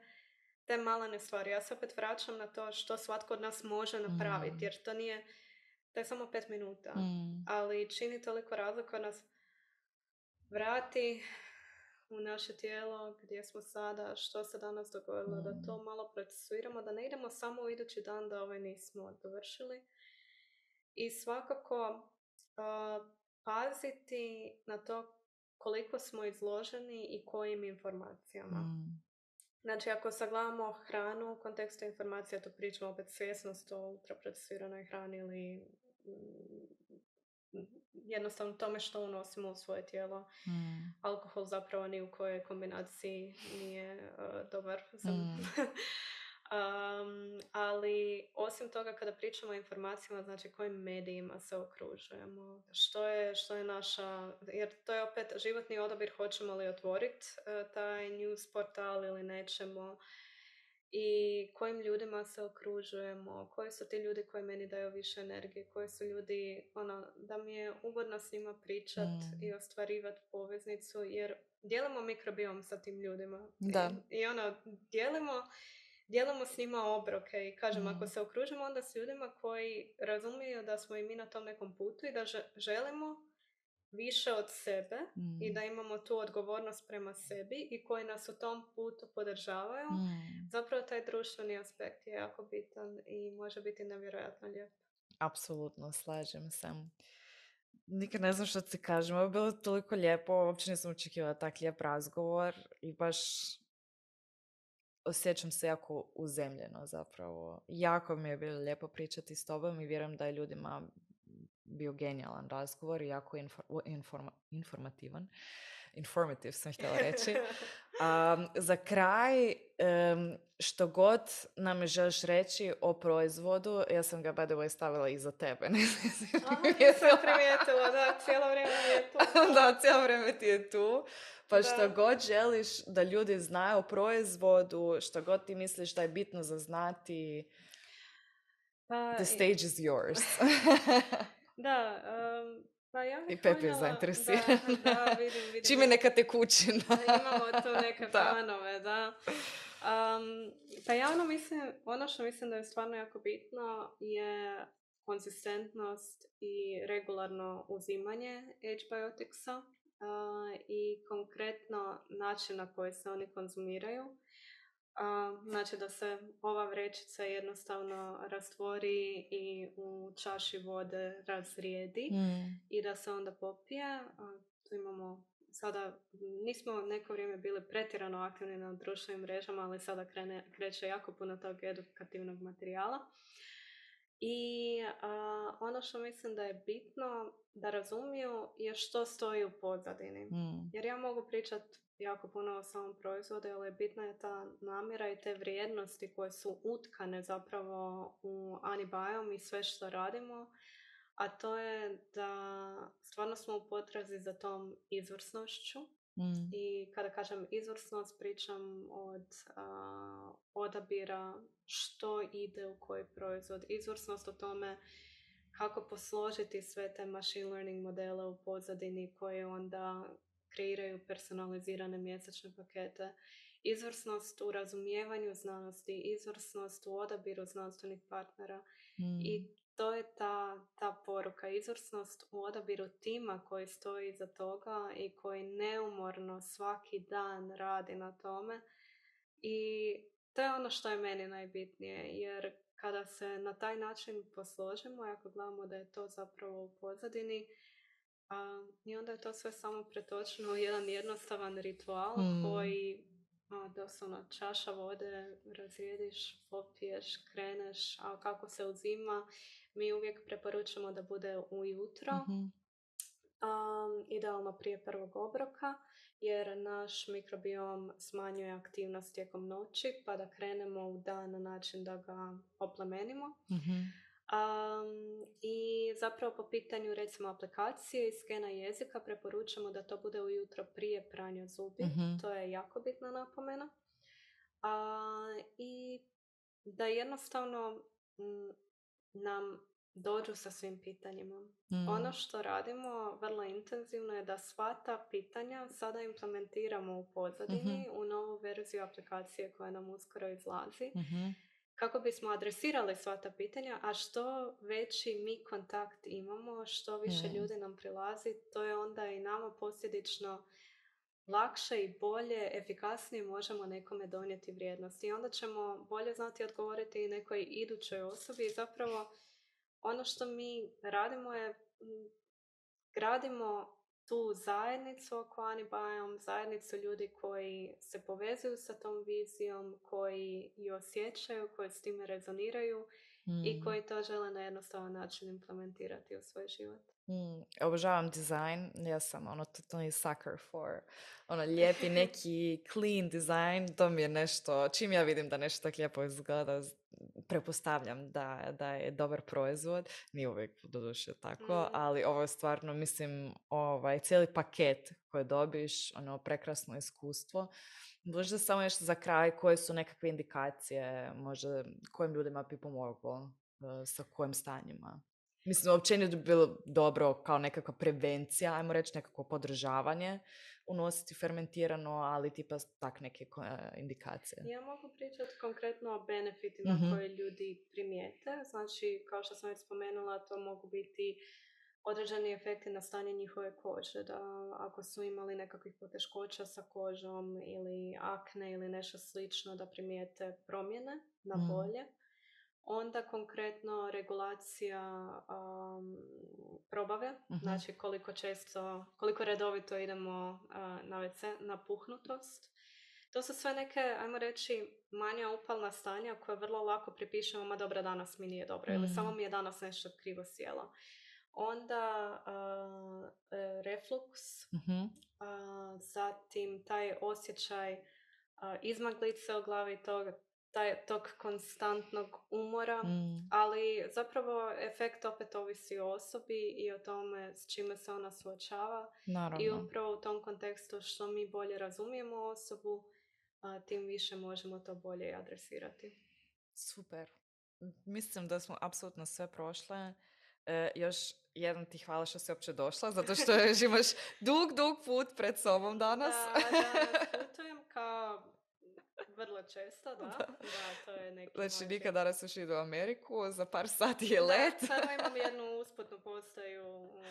Speaker 1: te malene stvari. Ja se opet vraćam na to što svatko od nas može napraviti, mm. jer to nije, to je samo pet minuta, mm. ali čini toliko razliku od nas vrati u naše tijelo, gdje smo sada, što se danas dogodilo, mm. da to malo procesuiramo, da ne idemo samo u idući dan da ovaj nismo dovršili. I svakako uh, paziti na to koliko smo izloženi i kojim informacijama. Mm. Znači, ako sagledamo hranu u kontekstu informacija, to pričamo opet svjesnost o ultraprocesiranoj hrani ili jednostavno tome što unosimo u svoje tijelo. Mm. Alkohol zapravo ni u kojoj kombinaciji nije uh, dobar. Mm. um, ali osim toga kada pričamo o informacijama, znači kojim medijima se okružujemo, što je, što je naša, jer to je opet životni odabir, hoćemo li otvoriti uh, taj news portal ili nećemo. I kojim ljudima se okružujemo, koji su ti ljudi koji meni daju više energije, koji su ljudi, ono, da mi je ugodno s njima pričat mm. i ostvarivati poveznicu, jer dijelimo mikrobiom sa tim ljudima.
Speaker 2: Da.
Speaker 1: I, i ono, dijelimo, dijelimo s njima obroke i kažem, mm. ako se okružimo onda s ljudima koji razumiju da smo i mi na tom nekom putu i da želimo više od sebe mm. i da imamo tu odgovornost prema sebi i koji nas u tom putu podržavaju, mm. zapravo taj društveni aspekt je jako bitan i može biti nevjerojatno lijep.
Speaker 2: Apsolutno, slažem se. Nikad ne znam što ti kažem, ovo je bilo toliko lijepo, uopće nisam očekivala tak lijep razgovor i baš osjećam se jako uzemljeno zapravo. Jako mi je bilo lijepo pričati s tobom i vjerujem da je ljudima bio genijalan razgovor i jako infor- informa- informativan. Informativ sam htjela reći. Um, za kraj, um, što god nam želiš reći o proizvodu, ja sam ga by the way stavila iza tebe. Ne
Speaker 1: znam. Aha, sam primijetila, da, cijelo vrijeme je tu.
Speaker 2: Da, cijelo vrijeme ti je tu. Pa što
Speaker 1: Da.
Speaker 2: god želiš da ljudi znaju o proizvodu, što god ti misliš da je bitno za znati,
Speaker 1: Pa,
Speaker 2: the
Speaker 1: i-
Speaker 2: stage is yours.
Speaker 1: da, um, pa ja
Speaker 2: I
Speaker 1: bih
Speaker 2: Pepi je
Speaker 1: voljela,
Speaker 2: zainteresiran.
Speaker 1: da, da, vidim, vidim,
Speaker 2: Čime neka
Speaker 1: imamo,
Speaker 2: tekućina.
Speaker 1: imamo tu neke
Speaker 2: Da.
Speaker 1: planove, da. Um, pa ja ono mislim, ono što mislim da je stvarno jako bitno je konzistentnost i regularno uzimanje H-bioticsa uh, i konkretno način na koji se oni konzumiraju. A, znači da se ova vrećica jednostavno rastvori i u čaši vode razrijedi
Speaker 2: Mm.
Speaker 1: i da se onda popije. A, tu imamo sada, nismo neko vrijeme bili pretjerano aktivni na društvenim mrežama, ali sada krene, kreće jako puno tog edukativnog materijala. I a, ono što mislim da je bitno da razumiju je što stoji u pozadini.
Speaker 2: Mm.
Speaker 1: Jer ja mogu pričati jako puno o samom proizvodu, ali bitna je ta namjera i te vrijednosti koje su utkane zapravo u Anibiome i sve što radimo, a to je da stvarno smo u potrazi za tom izvrsnošću.
Speaker 2: Mm.
Speaker 1: I kada kažem izvrsnost, pričam od a, odabira što ide u koji proizvod. Izvrsnost o tome kako posložiti sve te machine learning modele u pozadini koje onda kreiraju personalizirane mjesečne pakete. Izvrsnost u razumijevanju znanosti, izvrsnost u odabiru znanstvenih partnera.
Speaker 2: Mm.
Speaker 1: I to je ta, ta poruka, izvrsnost u odabiru tima koji stoji iza toga i koji neumorno svaki dan radi na tome. I to je ono što je meni najbitnije, jer kada se na taj način posložimo, ako gledamo da je to zapravo u pozadini, a, i onda je to sve samo pretočeno u jedan jednostavan ritual
Speaker 2: Mm.
Speaker 1: koji a, doslovno čaša vode, razrijediš, popiješ, kreneš, a kako se uzima, mi uvijek preporučamo da bude ujutro,
Speaker 2: Mm-hmm.
Speaker 1: um, idealno prije prvog obroka, jer naš mikrobiom smanjuje aktivnost tijekom noći, pa da krenemo u dan na način da ga oplemenimo.
Speaker 2: Mm-hmm.
Speaker 1: Um, I zapravo po pitanju recimo aplikacije i skena jezika preporučamo da to bude ujutro prije pranja zubi.
Speaker 2: Mm-hmm.
Speaker 1: To je jako bitna napomena. Uh, I da jednostavno m, nam dođu sa svim pitanjima.
Speaker 2: Mm.
Speaker 1: Ono što radimo vrlo intenzivno je da sva ta pitanja sada implementiramo u pozadini
Speaker 2: Mm-hmm.
Speaker 1: u novu verziju aplikacije koja nam uskoro izlazi.
Speaker 2: Mm-hmm.
Speaker 1: Kako bismo adresirali sva ta pitanja, a što veći mi kontakt imamo, što više
Speaker 2: Mm.
Speaker 1: ljudi nam prilazi, to je onda i nama posljedično lakše i bolje, efikasnije možemo nekome donijeti vrijednost. I onda ćemo bolje znati odgovoriti i nekoj idućoj osobi. I zapravo ono što mi radimo je m, gradimo tu zajednicu oko Anibiome, zajednicu ljudi koji se povezuju sa tom vizijom, koji ju osjećaju, koji s time rezoniraju
Speaker 2: Mm.
Speaker 1: i koji to žele na jednostavan način implementirati u svoj život.
Speaker 2: Mm, obožavam dizajn, ja sam ono totalni sucker for ono lijepi neki clean dizajn, to mi je nešto, čim ja vidim da nešto tako lijepo izgleda, z- pretpostavljam da, da je dobar proizvod, nije uvijek doduše tako,
Speaker 1: Mm.
Speaker 2: ali ovo je stvarno, mislim, ovaj cijeli paket koji dobiš, ono prekrasno iskustvo. Možda samo nešto za kraj, koje su nekakve indikacije, možda kojim ljudima bi pomoglo, eh, sa kojim stanjima? Mislim, općenito bi bilo dobro kao nekakva prevencija, ajmo reći, nekakvo podržavanje, unositi fermentirano, ali tipa tak neke ko- e, indikacije.
Speaker 1: Ja mogu pričati konkretno o benefitima
Speaker 2: Mhm.
Speaker 1: koje ljudi primijete. Znači, kao što sam već spomenula, to mogu biti određeni efekti na stanje njihove kože. Da ako su imali nekakvih poteškoća sa kožom ili akne ili nešto slično, da primijete promjene na
Speaker 2: Mm.
Speaker 1: bolje. Onda konkretno regulacija um, probave,
Speaker 2: Mhm.
Speaker 1: znači koliko često, koliko redovito idemo uh, na ve ce, napuhnutost. To su sve neke, ajmo reći, manja upalna stanja koje vrlo lako pripišemo, ma dobro, danas mi nije dobro, ili
Speaker 2: Mm.
Speaker 1: samo mi je danas nešto krivo sjelo. Onda uh, e, refluks,
Speaker 2: Mhm.
Speaker 1: uh, zatim taj osjećaj uh, izmaglice u glavi, to taj, tog konstantnog umora,
Speaker 2: Mm.
Speaker 1: ali zapravo efekt opet ovisi o osobi i o tome s čime se ona suočava. I
Speaker 2: Naravno.
Speaker 1: upravo u tom kontekstu što mi bolje razumijemo osobu, a, tim više možemo to bolje adresirati.
Speaker 2: Super. Mislim da smo apsolutno sve prošle. E, još jedan ti hvala što si uopće došla, zato što još imaš dug, dug put pred sobom danas.
Speaker 1: Da, danas putujem kao vrlo često, da.
Speaker 2: Da.
Speaker 1: Da, to je neki
Speaker 2: Znači,
Speaker 1: moj
Speaker 2: nikad danas još idu u Ameriku, za par sati je
Speaker 1: Da,
Speaker 2: let.
Speaker 1: sada imam jednu usputnu postaju u,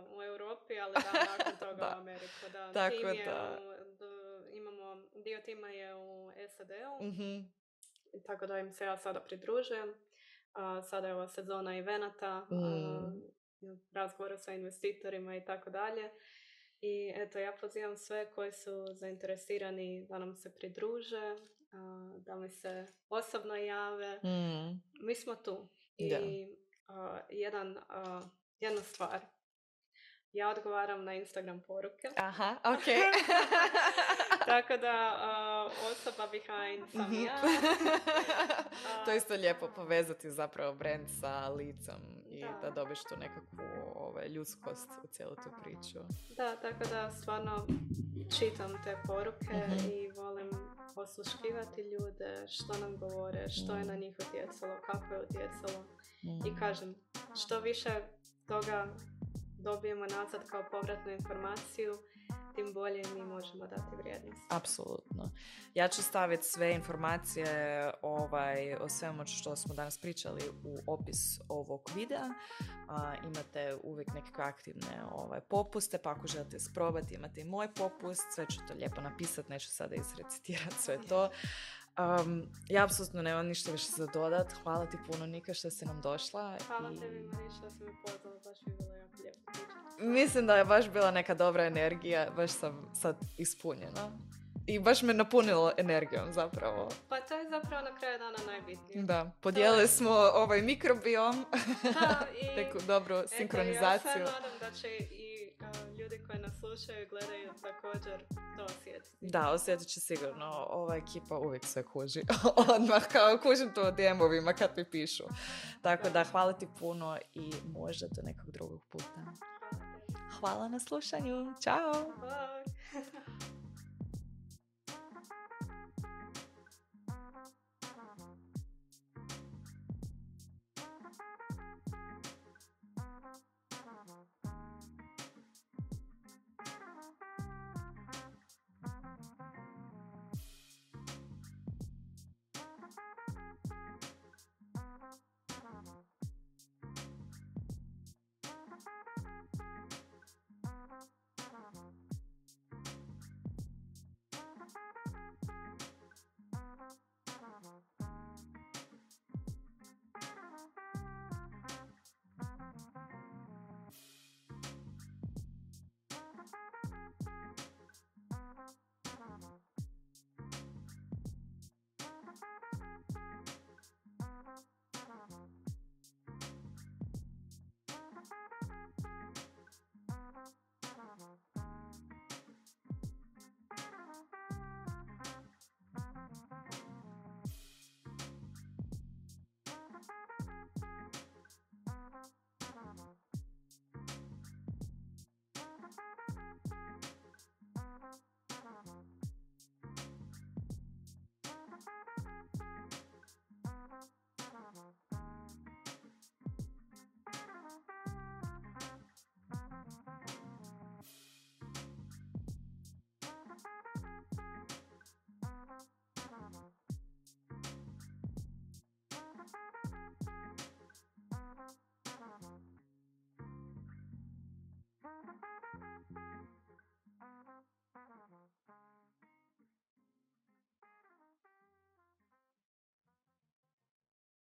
Speaker 1: u Europi, ali da, nakon toga
Speaker 2: Da.
Speaker 1: u Ameriku. Da.
Speaker 2: Tako
Speaker 1: Tim je
Speaker 2: da.
Speaker 1: u, d- imamo, dio tima je u S A D-u,
Speaker 2: Mhm.
Speaker 1: i tako da im se ja sada pridružujem. A, sada je ova sezona evenata, a,
Speaker 2: Mm.
Speaker 1: razgovora sa investitorima i tako dalje. I eto, ja pozivam sve koji su zainteresirani da nam se pridruže, a, da mi se osobno jave.
Speaker 2: Mm.
Speaker 1: Mi smo tu. I
Speaker 2: Da.
Speaker 1: a, jedan, a, jedna stvar. Ja odgovaram na Instagram poruke.
Speaker 2: Aha, ok.
Speaker 1: Tako da a, osoba behind sam
Speaker 2: Mhm.
Speaker 1: ja.
Speaker 2: To je isto lijepo povezati zapravo brand sa licom i
Speaker 1: Da.
Speaker 2: da dobiš tu nekakvu ovaj, ljudskost u cijelu tu priču.
Speaker 1: Da, tako da stvarno čitam te poruke
Speaker 2: Mhm.
Speaker 1: i volim osluškivati ljude, što nam govore, što je na njih utjecalo, kako je utjecalo.
Speaker 2: Mm.
Speaker 1: I kažem, što više toga dobijemo nazad kao povratnu informaciju, tim bolje mi možemo dati vrijednost.
Speaker 2: Apsolutno. Ja ću staviti sve informacije ovaj, o svemu što smo danas pričali u opis ovog videa. A, imate uvijek nekakve aktivne ovaj, popuste, pa ako želite sprobati, imate i moj popust, sve ću to lijepo napisati, neću sada izrecitirati sve to. Um, ja apsolutno nemam ništa više za dodat. Hvala ti puno, Nika, što si nam došla.
Speaker 1: Hvala
Speaker 2: i...
Speaker 1: tebi, Mariša, da si me pozvala, baš mi je bilo jako lijepo pričati.
Speaker 2: Mislim da je baš bila neka dobra energija, baš sam sad ispunjena. I baš me napunilo energijom zapravo.
Speaker 1: Pa to je zapravo na kraju dana najbitnije.
Speaker 2: Da, podijelili smo ovaj mikrobiom,
Speaker 1: Da, i
Speaker 2: neku dobru
Speaker 1: eto,
Speaker 2: sinkronizaciju.
Speaker 1: ja se nadam da će i uh, ljudi koji nas slušaju i gledaju također to osjetiti.
Speaker 2: Da, osjetit će sigurno. Ova ekipa uvijek sve kuži. Odmah kao kužim to u D M-ovima kad mi pišu. Tako da hvala ti puno i možda do nekog drugog puta.
Speaker 1: Hvala tebi.
Speaker 2: Hvala na slušanju. Ćao!
Speaker 1: Bye.